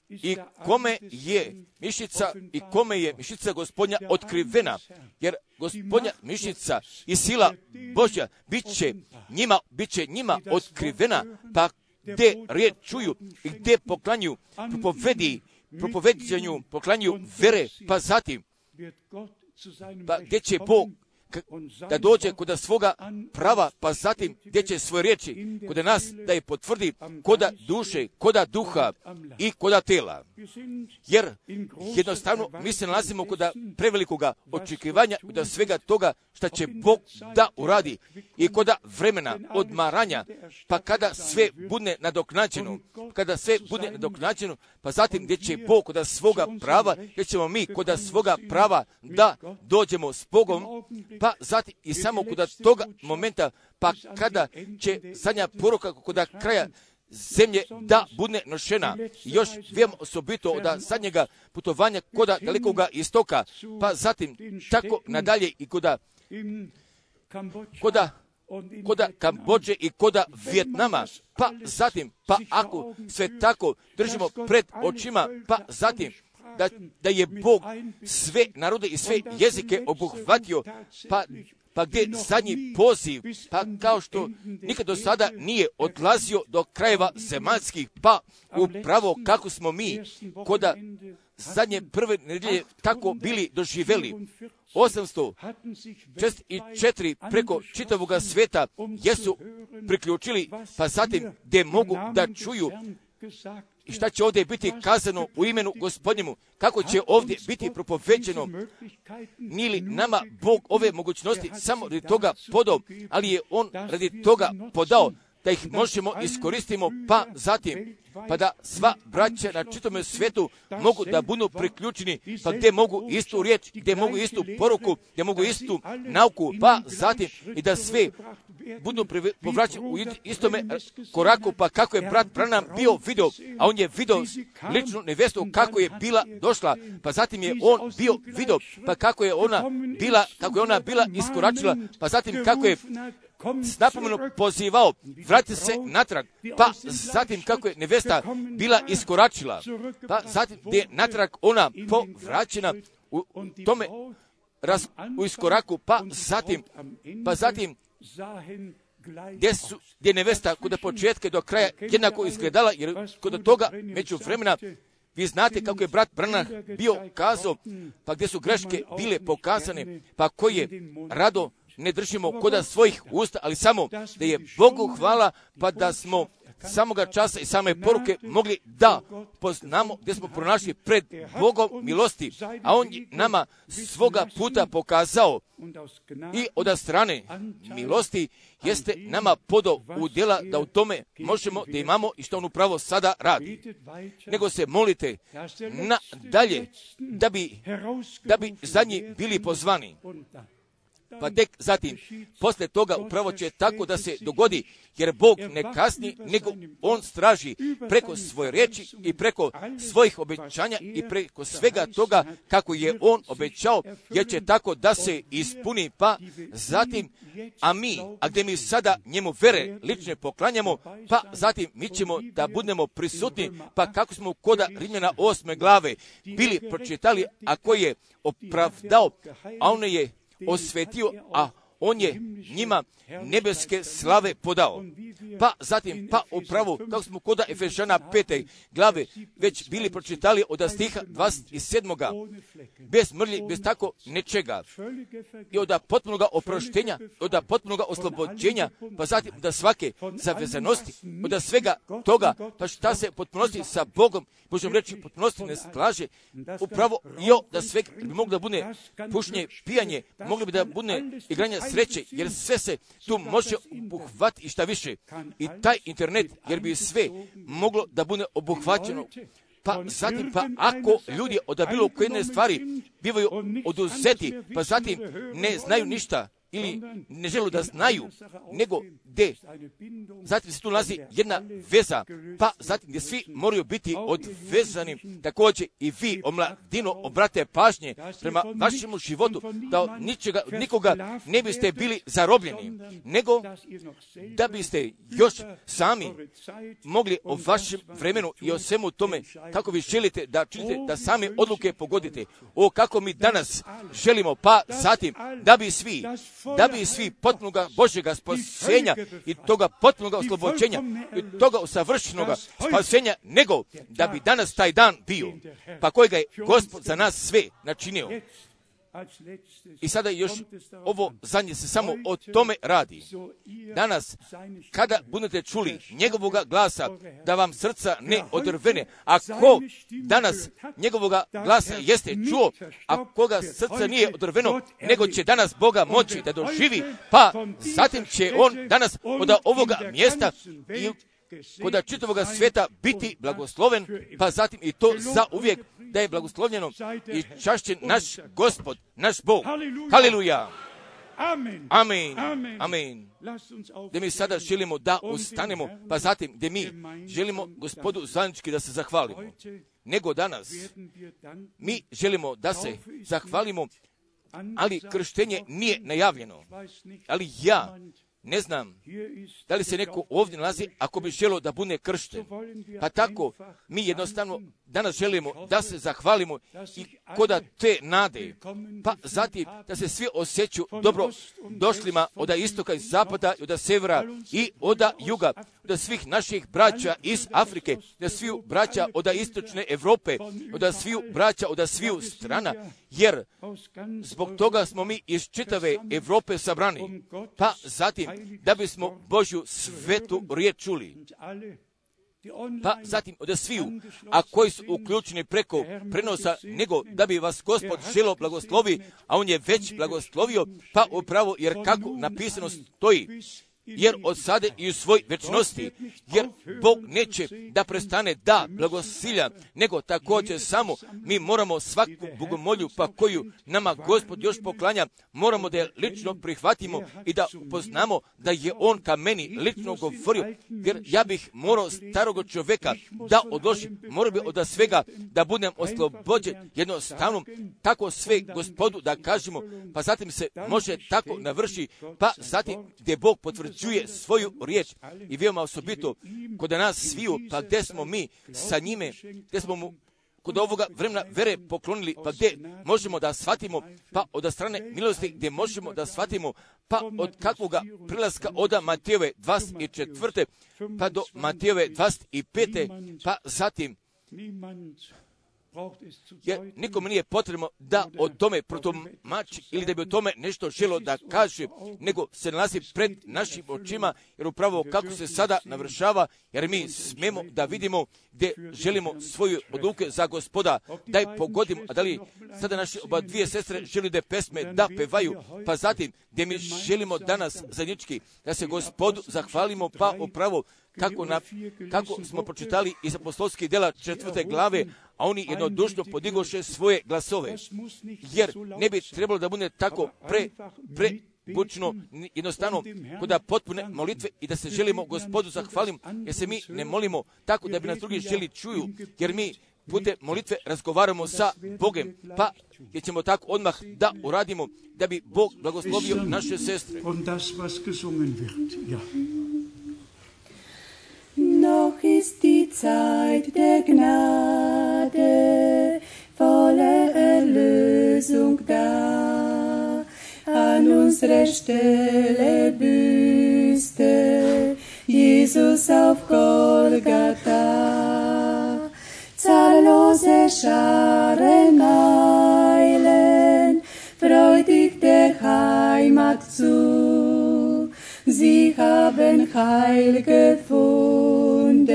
I kome je mišica i kome je mišica Gospodnja otkrivena, jer Gospodnja mišica i sila Božja bit će njima, bit će njima otkrivena, pa gdje riječ čuju i gdje poklanju propovedi, propoveđenju, poklanju vere, pa zatim, pa gdje će Bog da dođe kod svoga prava, pa zatim gdje će svoje riječi kod nas da je potvrdi koda duše, koda duha i koda tela. Jer jednostavno mi se nalazimo kod prevelikoga očekivanja kod svega toga što će Bog da uradi i kod vremena odmaranja, pa kada sve bude nadoknađeno, kada sve bude nadoknađeno, pa zatim gdje će Bog kod svoga prava, gdje ćemo mi kod svoga prava da dođemo s Bogom, pa zatim i samo kod toga momenta, pa kada će zadnja poruka kod kraja zemlje da bude nošena, još vijemo osobito od zadnjega putovanja kod dalekoga istoka, pa zatim tako nadalje i kod koda koda Kambođe i koda Vijetnama, pa zatim, pa ako sve tako držimo pred očima, pa zatim da, da je Bog sve narode i sve jezike obuhvatio, pa, pa gdje zadnji poziv, pa kao što nikad do sada nije odlazio do krajeva zemaljskih, pa upravo kako smo mi koda zadnje prve nedjelje tako bili doživjeli. osamsto šezdeset četiri preko čitavoga sveta jesu priključili, pa zatim gdje mogu da čuju i šta će ovdje biti kazano u imenu Gospodnjemu, kako će ovdje biti propoveđeno. Nije li nama Bog ove mogućnosti samo radi toga podao, ali je On radi toga podao da ih možemo iskoristimo, pa zatim, pa da sva braća na čitome svijetu mogu da budu priključeni, pa gdje mogu istu riječ, gdje mogu istu poruku, gdje mogu istu nauku, pa zatim i da sve budu povraćeni u istome koraku, pa kako je brat Branham bio video, a on je video ličnu nevestu kako je bila došla, pa zatim je on bio video, pa kako je ona bila, kako je ona bila iskoračila, pa zatim kako je s napomenom pozivao, vrati se natrag, pa zatim kako je nevesta bila iskoračila, pa zatim gdje je natrag ona povraćena u tome raz, u iskoraku, pa zatim, pa zatim gdje, su, gdje je nevesta kod početka do kraja jednako izgledala, jer kod toga među vremena Vi znate kako je brat Branham bio kazao, pa gdje su greške bile pokazane, pa koje rado ne držimo koda svojih usta, ali samo da je Bogu hvala, pa da smo samoga časa i same poruke mogli da poznamo gdje smo pronašli pred Bogom milosti, a On je nama svoga puta pokazao i od strane milosti jeste nama podao u djela da u tome možemo da imamo i što On upravo sada radi. Nego se molite na dalje da bi, da bi zadnji bili pozvani. Pa tek zatim, poslije toga upravo će tako da se dogodi, jer Bog ne kasni, nego On straži preko svoje riječi i preko svojih obećanja i preko svega toga kako je On obećao, jer će tako da se ispuni. Pa zatim, a mi, a gdje mi sada njemu vere lične poklanjamo, pa zatim mi ćemo da budemo prisutni, pa kako smo koda Rimljana osme glave bili pročitali, a koji je opravdao, a on je osvetio, a On je njima nebeske slave podao. Pa zatim, pa upravo, kako smo kod Efežana pete glave već bili pročitali od stiha dvadeset sedam. Bez mrlji, bez tako nečega. I od potpunoga oproštenja, od potpunoga oslobođenja, pa zatim da svake zavezanosti, od svega toga, pa šta se potpunosti sa Bogom, možemo reći, potpunosti ne slaže, upravo i o da sve bi moglo da bude pušenje, pijanje, moglo bi da bude igranje sreće, jer sve se tu može obuhvatiti i šta više. I taj internet, jer bi sve moglo da bude obuhvaćeno. Pa zatim, pa ako ljudi od bilo koje jedne stvari bivaju oduzeti, pa zatim ne znaju ništa, ili ne žele da znaju, nego gdje. Zatim se tu nalazi jedna veza, pa zatim gdje svi moraju biti odvezani, također i vi, omladino, obrate pažnje prema vašemu životu, da od ničega, nikoga ne biste bili zarobljeni, nego da biste još sami mogli o vašem vremenu i o svemu tome, kako vi želite da činite, da sami odluke pogodite. O, kako mi danas želimo, pa zatim, da bi svi, da bi svi potpunoga Božjega spasenja i toga potpunoga oslobođenja i toga usavršenoga spasenja, nego da bi danas taj dan bio, pa kojega je Gospod za nas sve načinio. I sada još ovo zadnje se samo o tome radi. Danas, kada budete čuli njegovoga glasa, da vam srca ne odrvene, a ko danas njegovoga glasa jeste čuo, a koga srca nije odrveno, nego će danas Boga moći da doživi, pa zatim će on danas od ovoga mjesta i kod čitavoga svijeta biti blagosloven, pa zatim i to za uvijek da je blagoslovljeno i čašćen naš Gospod, naš Bog. Haleluja! Amen. Amen. Gdje mi sada želimo da ustanemo, pa zatim gdje mi želimo Gospodu zajednički da se zahvalimo. Nego danas mi želimo da se zahvalimo, ali krštenje nije najavljeno. Ali ja ne znam da li se neko ovdje nalazi ako bi želio da bude kršten. Pa tako mi jednostavno danas želimo da se zahvalimo i koda te nade. Pa zatim da se svi osjećaju dobro došlima od istoka i zapada, od severa i od juga, od svih naših braća iz Afrike, od svih braća od istočne Europe, od svih braća od svih strana, jer zbog toga smo mi iz čitave Europe sabrani. Pa zatim da bismo Božju svetu riječ čuli. Pa zatim od sviju, a koji su uključeni preko prenosa, nego da bi vas Gospod želo blagoslovi, a On je već blagoslovio, pa upravo jer kako napisano stoji, jer od sada i u svoj večnosti, jer Bog neće da prestane da blagosilja, nego također samo mi moramo svaku bogomolju pa koju nama Gospod još poklanja, moramo da je lično prihvatimo i da poznamo da je On ka meni lično govorio, jer ja bih morao starog čovjeka da odložim, morao bi od svega da budem oslobođen jednostavno, tako sve Gospodu da kažemo, pa zatim se može tako navrši, pa zatim gdje Bog potvrđuje čuje svoju riječ i veoma osobito kod nas sviju, pa gdje smo mi sa njime, gdje smo mu kod ovoga vremena vere poklonili, pa gdje možemo da shvatimo, pa od strane milosti gdje možemo da shvatimo, pa od kakvoga prilaska od Matejove dvadeset četvrte pa do Matejove dvadeset pete pa zatim Jer nikome nije potrebno da o tome protumači ili da bi o tome nešto želo da kaže, nego se nalazi pred našim očima, jer upravo kako se sada navršava, jer mi smemo da vidimo gdje želimo svoju odluke za Gospoda, daj pogodimo, a da li sada naše oba dvije sestre želi da pesme da pevaju, pa zatim gdje mi želimo danas zajednički da se Gospodu zahvalimo, pa upravo kako, na, kako smo pročitali iz apostolskih djela četvrte glave, a oni jednodušno podigoše svoje glasove, jer ne bi trebalo da bude tako pre, pre bučno, jednostavno, kod potpune molitve i da se želimo Gospodu zahvalim, jer se mi ne molimo tako da bi nas drugi želi čuju, jer mi putem molitve razgovaramo sa Bogom, pa jer ćemo tako odmah da uradimo, da bi Bog blagoslovio naše sestre. Noch ist die Zeit der Gnade, volle Erlösung da. An unsere Stelle büßte Jesus auf Golgatha. Zahllose Scharen eilen freudig der Heimat zu. Sie haben Heil gefunden,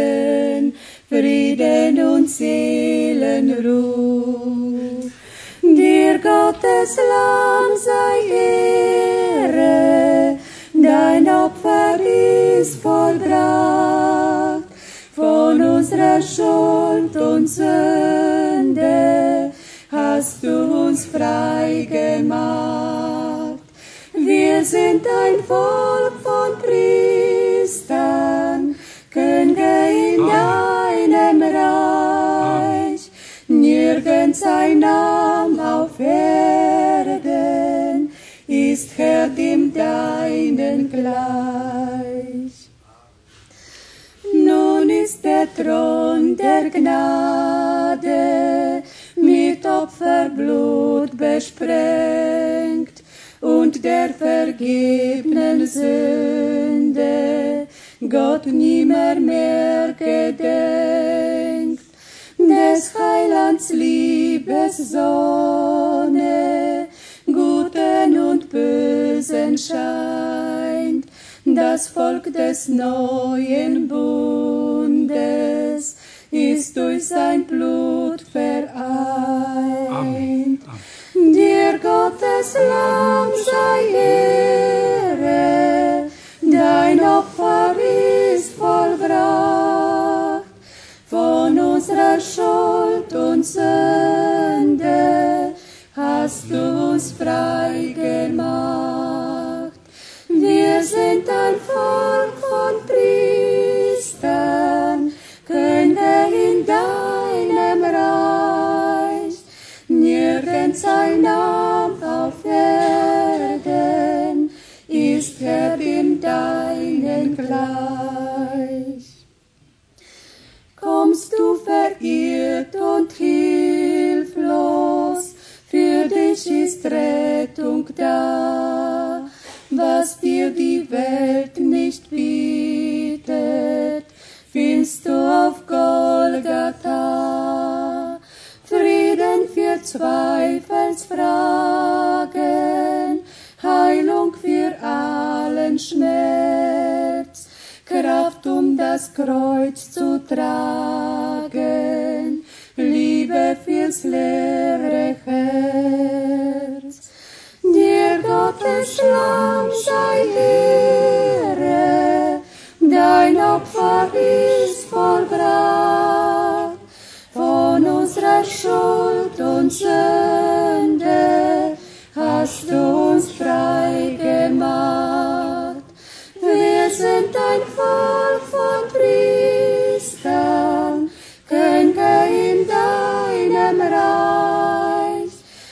Frieden und Seelenruhe. Dir Gottes Lamm sei Ehre, dein Opfer ist vollbracht. Von unserer Schuld und Sünde hast du uns frei gemacht. Wir sind ein Volk von Priestern, Könige in deinem Reich. Nirgends ein Name auf Erden ist Herr dem deinen gleich. Nun ist der Thron der Gnade mit Opferblut besprengt und der vergebenen Sünde Gott nimmer mehr gedenkt. Des Heilands Liebessonne Guten und Bösen scheint, das Volk des neuen Bundes ist durch sein Blut vereint. Amen. Dir Gottes Lamm sei Ehre, dein Opfer ist vollbracht. Von unserer Schuld und Sünde hast du uns frei gemacht. Wir sind ein Volk von Priestern, Könige in deinem Reich. Nirgends ein Name auf Erden ist Herr dem deinen gleich. Kommst du verirrt und hilflos, für dich ist Rettung da. Was dir die Welt nicht bietet, findest du auf Golgatha. Frieden für Zweifelsfragen, Heilung für allen Schmerz, Kraft, um das Kreuz zu tragen, Liebe fürs leere Herz. Dir Gottes Lamm sei Ehre, dein Opfer ist vollbracht. Von unserer Schuld und Sünde hast du uns frei gemacht. Wir sind ein Volk von Priestern, Könige in deinem Reich.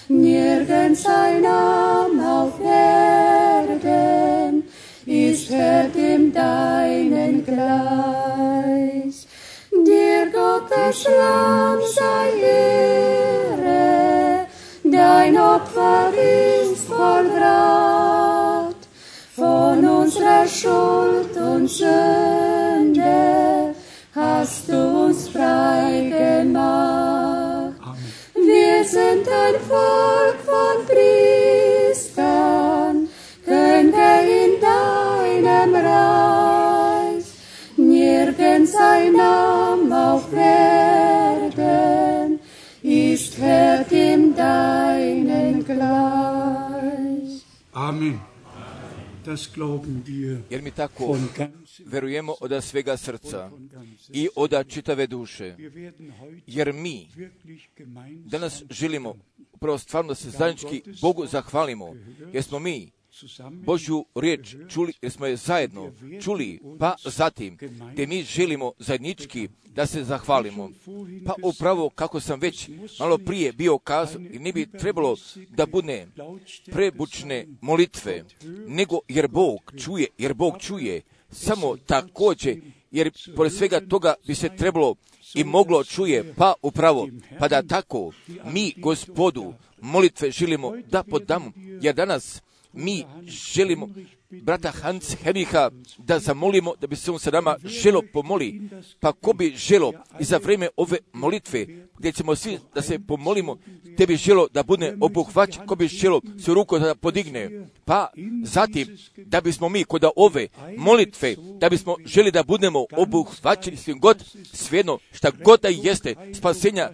Nirgends ein Name auf Erden ist Herr dem deinen gleich. Dir Gottes Lamm sei Ehre, dein Opfer ist vollbracht. Von unserer Schuld und Sünde hast du uns frei gemacht. sind ein Volk von Priestern, Könige in deinem Reich. Nirgends ein Name auf Erden ist Herr dem deinen gleich. Amen. Das glauben wir. Jer mi tako verujemo od svega srca i od čitave duše. Jer mi danas želimo upravo stvarno da se zajednički Bogu zahvalimo, jer smo mi Božju riječ čuli, jer smo je zajedno čuli, pa zatim gdje mi želimo zajednički da se zahvalimo. Pa upravo kako sam već malo prije bio kazao, i ne bi trebalo da bude prebučne molitve, nego jer Bog čuje, jer Bog čuje samo također, jer pored svega toga bi se trebalo i moglo čuje, pa upravo, pa da tako mi Gospodu molitve želimo da podamo, jer danas mi želimo brata Hans Henricha da zamolimo da bi se on sa nama želo pomoli. Pa ko bi želo i za vrijeme ove molitve gdje ćemo svi da se pomolimo, te bi želo da bude obuhvaćen, ko bi želo se ruku da podigne. Pa zatim da bismo mi kod ove molitve, da bismo želi da budemo obuhvaćeni svim god, svejedno šta god da jeste, spasenja,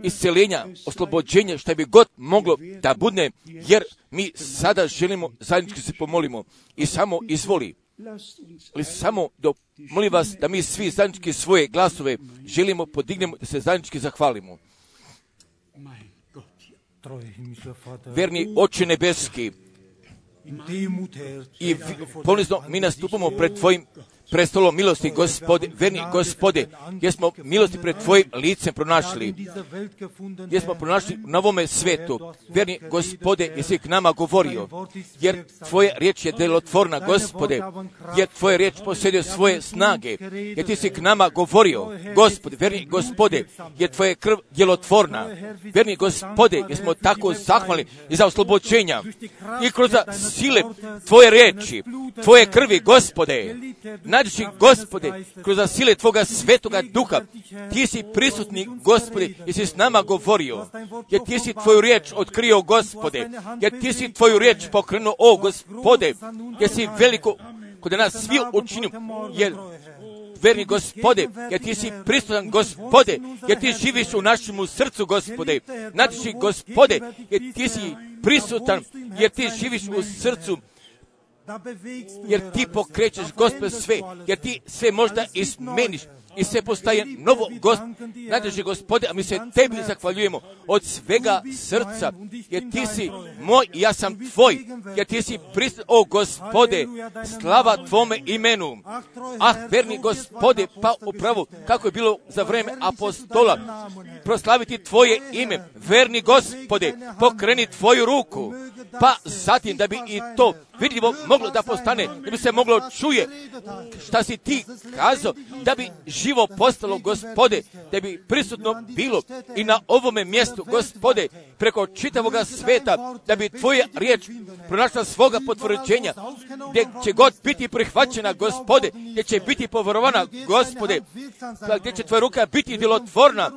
isceljenja, oslobođenja, šta bi god moglo da bude, jer mi sada želimo zajednički se pomolimo. I samo izvoli, ali samo do, molim vas da mi svi zajednički svoje glasove želimo podignemo da se zajednički zahvalimo. Verni Oče nebeski, i ponizno mi nastupamo pred Tvojim prestolom milosti, Gospode, verni Gospode, gdje smo milosti pred Tvojim licem pronašli, gdje smo pronašli na ovome svetu, verni Gospode, jesi k nama govorio, jer Tvoja riječ je djelotvorna, Gospode, jer Tvoja riječ posjeduje svoje snage, jer Ti si k nama govorio, Gospode, verni Gospode, jer Tvoja krv djelotvorna, verni Gospode, jer smo tako zahvalni i za oslobođenja i kroz sile Tvoje riječi, Tvoje krvi, Gospode, nađi Gospode, kroz sile Tvoga svetoga duha, Ti si prisutni, Gospode, jer si s nama govorio, jer Ti si Tvoju riječ otkrio, Gospode, jer Ti si Tvoju riječ pokrenuo, o Gospode, jer si veliko kod nas svi učinio, jer verni Gospode, jer Ti si prisutan, Gospode, jer Ti živiš u našemu srcu, Gospode, nađi Gospode, jer Ti si prisutan, jer Ti živiš u srcu, jer Ti pokrećeš, Gospod, sve, jer Ti sve možda izmeniš i sve postaje novo, Gospod, nađe Gospode, a mi se Tebi zahvaljujemo od svega srca, jer Ti si moj i ja sam Tvoj, jer Ti si prisutan, o Gospode, slava Tvome imenu. Ah, verni Gospode, pa upravo kako je bilo za vrijeme apostola, proslaviti Tvoje ime, verni Gospode, pokreni Tvoju ruku, pa zatim da bi i to vidljivo moglo da postane, da bi se moglo čuje šta si Ti kazao, da bi živo postalo, Gospode, da bi prisutno bilo i na ovome mjestu, Gospode, preko čitavoga sveta, da bi Tvoja riječ pronašla svoga potvrđenja, gdje će god biti prihvaćena, Gospode, gdje će biti poverovana, Gospode, gdje će Tvoja ruka biti djelotvorna,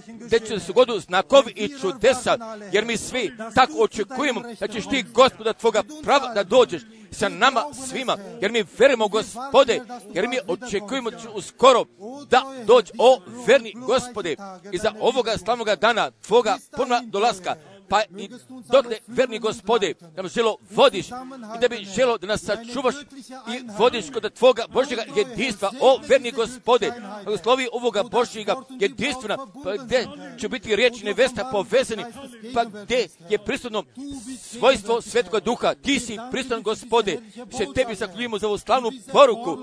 gdje će se godu znakovi i čudesa, jer mi svi tako očekujemo da ćeš Ti, Gospoda, Tvoga prava da dođeš sa nama svima, jer mi verimo, Gospode, jer mi očekujemo da će uskoro da dođe, o verni Gospode, iza ovoga slavnoga dana Tvoga ponovna dolaska, pa i dokle, verni Gospode, da nam želo vodiš i da bi želo da nas sačuvaš i vodiš kod Tvoga Božjega jedinstva, o verni Gospode, blagoslovi ovoga Božjega jedinstvena, pa gdje će biti riječ nevesta povezani, pa gdje je prisutno svojstvo Svetoga Duha, Ti si prisutan, Gospode, se Tebi zahvaljujemo za ovu slavnu poruku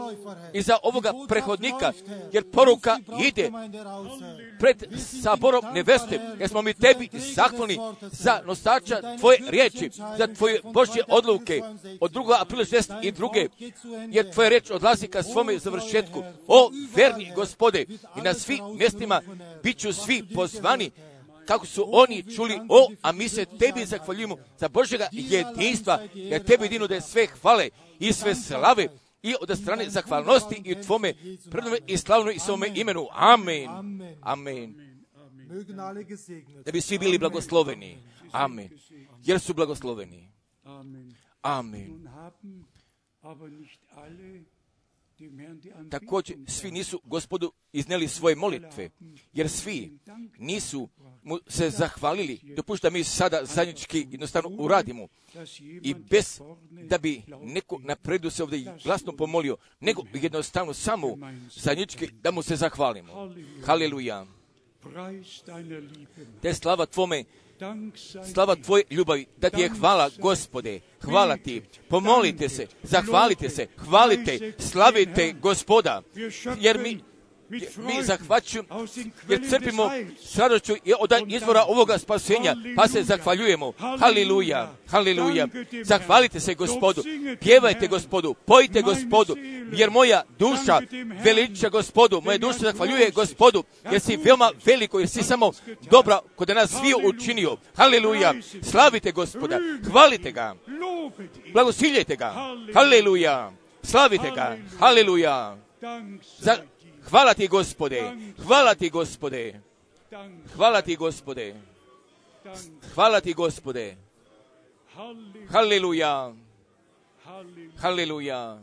i za ovoga prehodnika, jer poruka ide pred saborom neveste, jer smo mi Tebi zahvalni za nosača Tvoje riječi, za Tvoje Božje odluke od drugog aprila šezdeset druge, jer Tvoja riječ odlazi ka svome završetku. O verni Gospode, i na svim mjestima bit ću svi pozvani kako su oni čuli, o, a mi se Tebi zahvaljujemo za Božjega jedinstva, jer Tebi jedino da je sve hvale i sve slave i od strane zahvalnosti i u Tvome prednome i slavnoj i svome imenu. Amen. Amen. Da bi svi bili blagosloveni. Amen. Jer su blagosloveni. Amen. Također, svi nisu Gospodu iznijeli svoje molitve, jer svi nisu mu se zahvalili. Dopušta mi sada zajednički jednostavno uradimo. I bez da bi neko napredu se ovdje glasno pomolio, nego jednostavno samo zajednički da mu se zahvalimo. Haleluja. Te slava Tvome, slava Tvoje ljubavi, da Ti je hvala, Gospode, hvala Ti, pomolite se, zahvalite se, hvalite, slavite Gospoda, jer mi, mi zahvaćujemo, jer crpimo s radošću od izvora ovoga spasenja, pa se zahvaljujemo. Haleluja, haleluja. Zahvalite se Gospodu, pjevajte Gospodu, pojite Gospodu, jer moja duša veliča Gospodu, moja duša zahvaljuje Gospodu, jer si veoma veliko, jer si samo dobro kod nas svi učinio. Haleluja, slavite Gospoda, hvalite ga, blagosiljajte ga. Haleluja, slavite ga. Haleluja. Za, hvala Ti Gospode, hvala Ti Gospode, hvala Ti Gospode, hvala Ti Gospode. Haleluja, haleluja.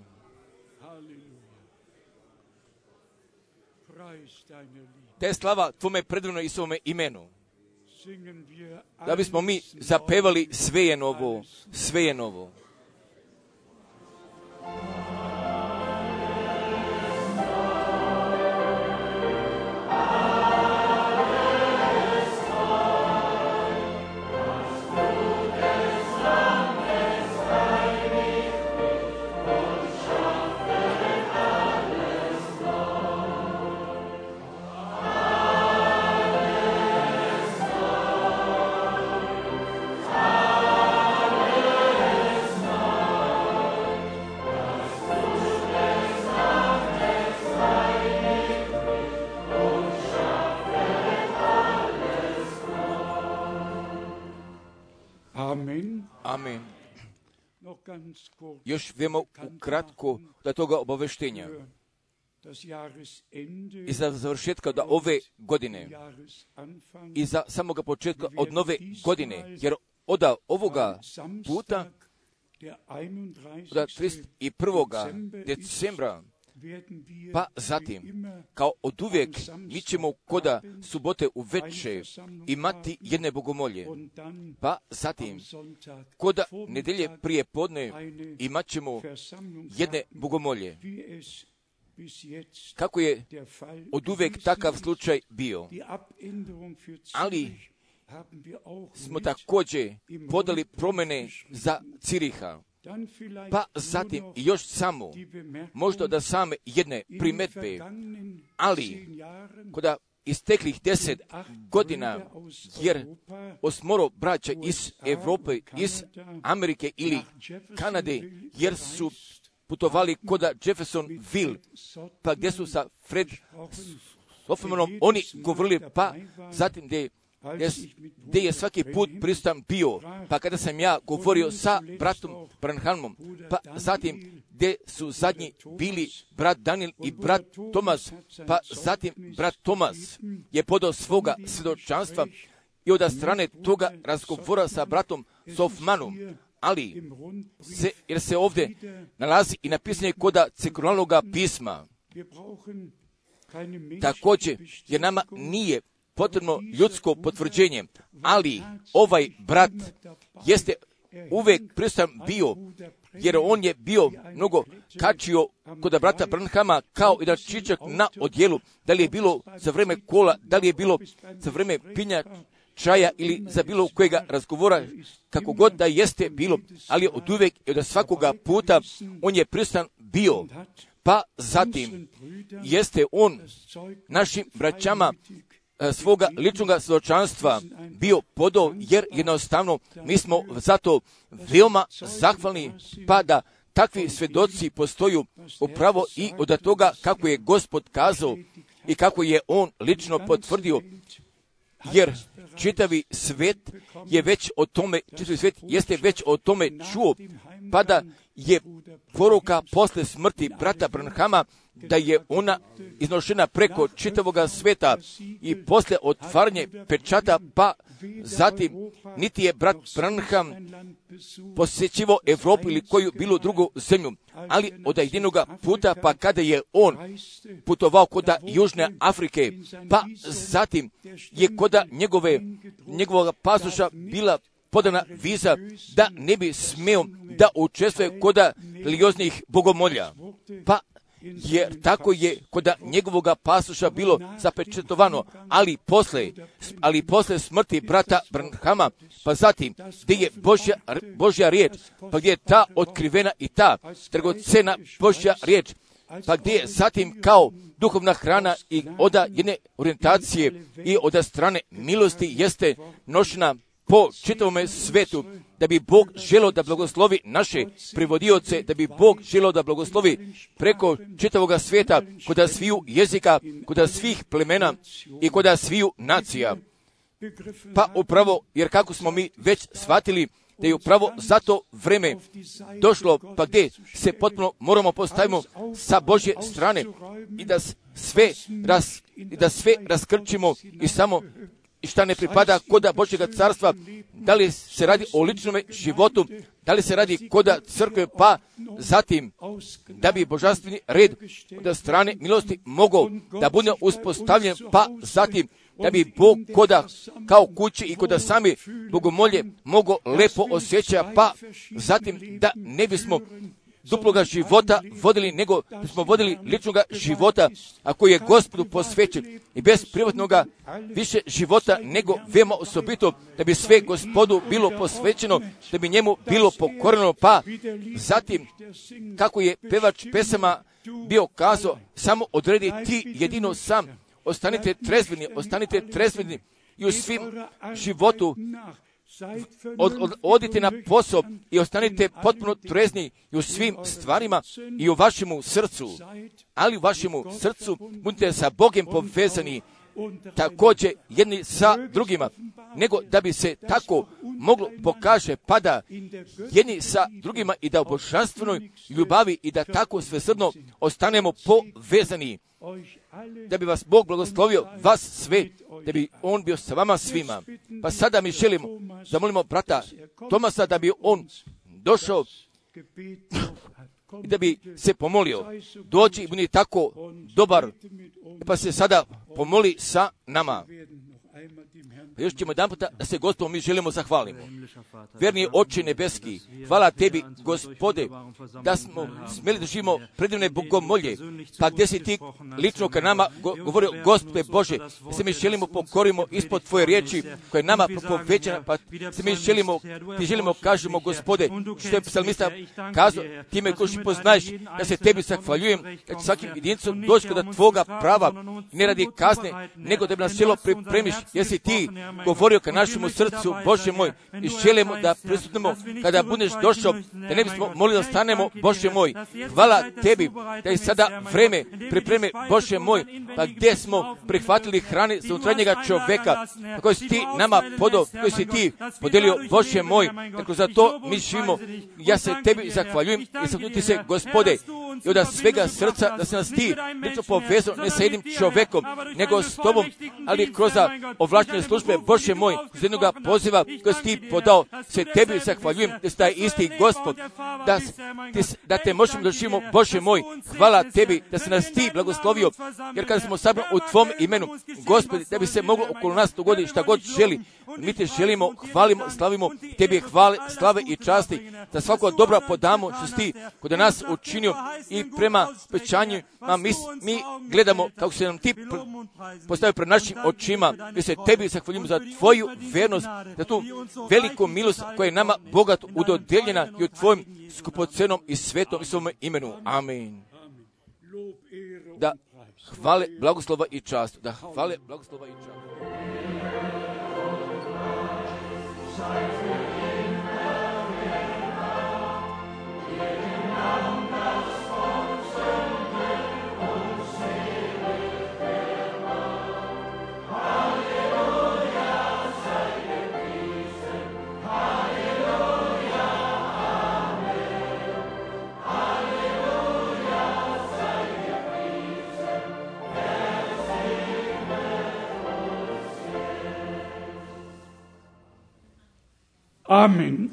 Te slava Tvome predivno i svome imenu. Da bismo mi zapevali sve je novo, sve je novo. Amen. Još vemo ukratko da toga obaveštenja. I za završetka da ove godine i za samoga početka od nove godine, jer od ovoga puta od trideset prvog decembra pa zatim, kao od uvijek, mi ćemo koda subote u veče imati jedne bogomolje. Pa zatim, koda nedelje prije podne imat ćemo jedne bogomolje. Kako je od uvijek takav slučaj bio. Ali smo također podali promjene za Ciriha. Pa zatim još samo, možda da same jedne primetbe, ali koda isteklih deset godina, jer osmoro braća iz Europe, iz Amerike ili Kanade, jer su putovali koda Jeffersonville, pa gdje su sa Fred Hoffmanom oni govorili, pa zatim gdje gdje je svaki put prisutan bio, pa kada sam ja govorio sa bratom Branhamom, pa zatim gdje su zadnji bili brat Daniel i brat Tomas, pa zatim brat Tomas je podao svoga svjedočanstva i od strane toga razgovora sa bratom Hoffmanom, ali se, jer se ovdje nalazi i napisanje koda cirkularnog pisma. Također, jer nama nije potrebno ljudsko potvrđenje, ali ovaj brat jeste uvijek prisutan bio, jer on je bio mnogo kačio kod brata Branhama kao i da čičak na odjelu, da li je bilo za vreme kola, da li je bilo za vreme pinja čaja ili za bilo kojega razgovora, kako god da jeste bilo, ali od uvijek i od svakoga puta on je prisutan bio. Pa zatim jeste on našim braćama svoga ličnog svjedočanstva bio podao, jer jednostavno mi smo zato veoma zahvalni, pa da takvi svjedoci postoju upravo i od toga kako je Gospod kazao i kako je on lično potvrdio. jer čitavi svet je već o tome, čitavi svet jeste već o tome čuo, pa da je poruka posle smrti brata Branhama, da je ona iznošena preko čitavoga sveta i posle otvaranje pečata, pa zatim niti je brat Branham posjećivo Evropu ili koju bilo drugu zemlju, ali od jedinoga puta, pa kada je on putovao koda Južne Afrike, pa zatim je koda njegove, njegovog pasoša bila podana viza da ne bi smeo da učestvuje koda religioznih bogomolja. Pa jer tako je koda njegovoga pasoša bilo zapečetovano, ali posle, ali posle smrti brata Branhama, pa zatim gdje je Božja, Božja riječ, pa gdje je ta otkrivena i ta dragocena Božja riječ, pa gdje je zatim kao duhovna hrana i oda jedne orijentacije i oda strane milosti jeste nošena po čitavome svetu, da bi Bog želio da blagoslovi naše prevodioce, da bi Bog želio da blagoslovi preko čitavoga svijeta, koda sviju jezika, koda svih plemena i koda sviju nacija. Pa upravo, jer kako smo mi već shvatili, da je upravo za to vreme došlo, pa gdje se potpuno moramo postavimo sa Božje strane i da sve, raz, i da sve raskrčimo i samo i šta ne pripada koda Božjega carstva, da li se radi o ličnom životu, da li se radi koda crkve, pa zatim da bi božanstveni red od strane milosti mogao da bude uspostavljen, pa zatim da bi Bog koda kao kući i koda sami bogomolje mogo lepo osjeća, pa zatim da ne bismo duploga života vodili, nego da smo vodili ličnoga života, a koji je Gospodu posvećen i bez privatnoga više života, nego veoma osobito da bi sve Gospodu bilo posvećeno, da bi njemu bilo pokoreno, pa zatim kako je pevač pesama bio kazao, samo odredi ti jedino sam, ostanite trezveni, ostanite trezveni i u svim životu Od, od, odite na posao i ostanite potpuno trezni i u svim stvarima i u vašemu srcu, ali u vašemu srcu budite sa Bogom povezani također jedni sa drugima, nego da bi se tako moglo pokaže, pa da jedni sa drugima i da u božanstvenoj ljubavi i da tako svesrdno ostanemo povezani, da bi vas Bog blagoslovio, vas sve, da bi on bio sa vama svima. Pa sada mi želimo, zamolimo brata Tomasa da bi on došao i da bi se pomolio. Dođi i budi tako dobar, pa se sada pomoli sa nama. Pa još ćemo jedan puta da se Gospodu mi želimo zahvalimo. Verni Oče nebeski, hvala tebi, Gospode, da smo smjeli da živimo predivne bogomolje, pa gdje si ti lično ka nama go, govorio, Gospode Bože, da se mi želimo pokorimo ispod tvoje riječi koja je nama propovećena, pa se mi želimo, ti želimo kažemo, Gospode, što je psalmista kazao, ti me koši poznaješ, da se tebi zahvaljujem, da će svakim jedincom doći kada tvoga prava, ne radi kazne, nego da bi nas cijelo pripremiš, jer si ti govorio ka našemu srcu, Bože moj, i želimo da prisutnemo kada budeš došao, da ne bismo molili da stanemo, Bože moj. Hvala tebi da je sada vreme pripreme, Bože moj, pa gdje smo prihvatili hrane za unutarnjega čoveka, koji si ti nama podao, koji si ti podelio, Bože moj, tako za to mi živimo. Ja se tebi zahvaljujem i zahvaljujem ti se, Gospode, i od svega srca da se nas ti lično povezao ne sa jednim čovekom, nego s tobom, ali kroz ovlaštene službe, Bože moj, uz jednoga poziva koji si ti podao, se tebi zahvaljujem da si taj isti Gospod, da, ti, da te možemo da živimo, Bože moj, hvala tebi da se nas ti blagoslovio, jer kada smo sabrani u tvom imenu, Gospodi, da bi se moglo okolo nas dogoditi šta god želi, mi te želimo, hvalimo, slavimo, tebi hvale, slave i časti, da svako dobro podamo što si ti kod nas učinio i prema obećanju, a mi, mi gledamo kako se nam ti postavio pred našim očima, mi se tebi zahvaljujemo za tvoju vernost, za tu veliku milost koja je nama bogat udodeljena i u tvojom skupocenom i svetom i svom imenu. Amen. Da hvale, blagoslova i čast. Da hvale, blagoslova i čast. Halleluja. Amen.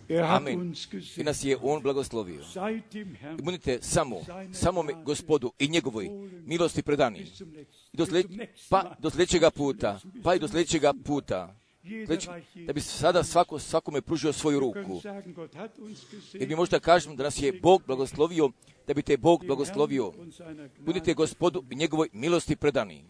Er hat Amen. uns I gesegnet. nas je On blagoslovio. Seid dem Herrn I budite samo, samome Gospodu i njegovoj milosti predani. bis zum letzten. I do slje, pa do sljedećega puta, pa i do sljedećega puta. Sljedeći, da bi sada svako, svakome pružio svoju Wir können ruku. sagen, Gott hat uns Jer mi gesegnet. možda kažemo da nas je Bog blagoslovio, da bi te Bog Dem blagoslovio. Herrn und seiner Gnade Budite Gospodu i njegovoj milosti predani.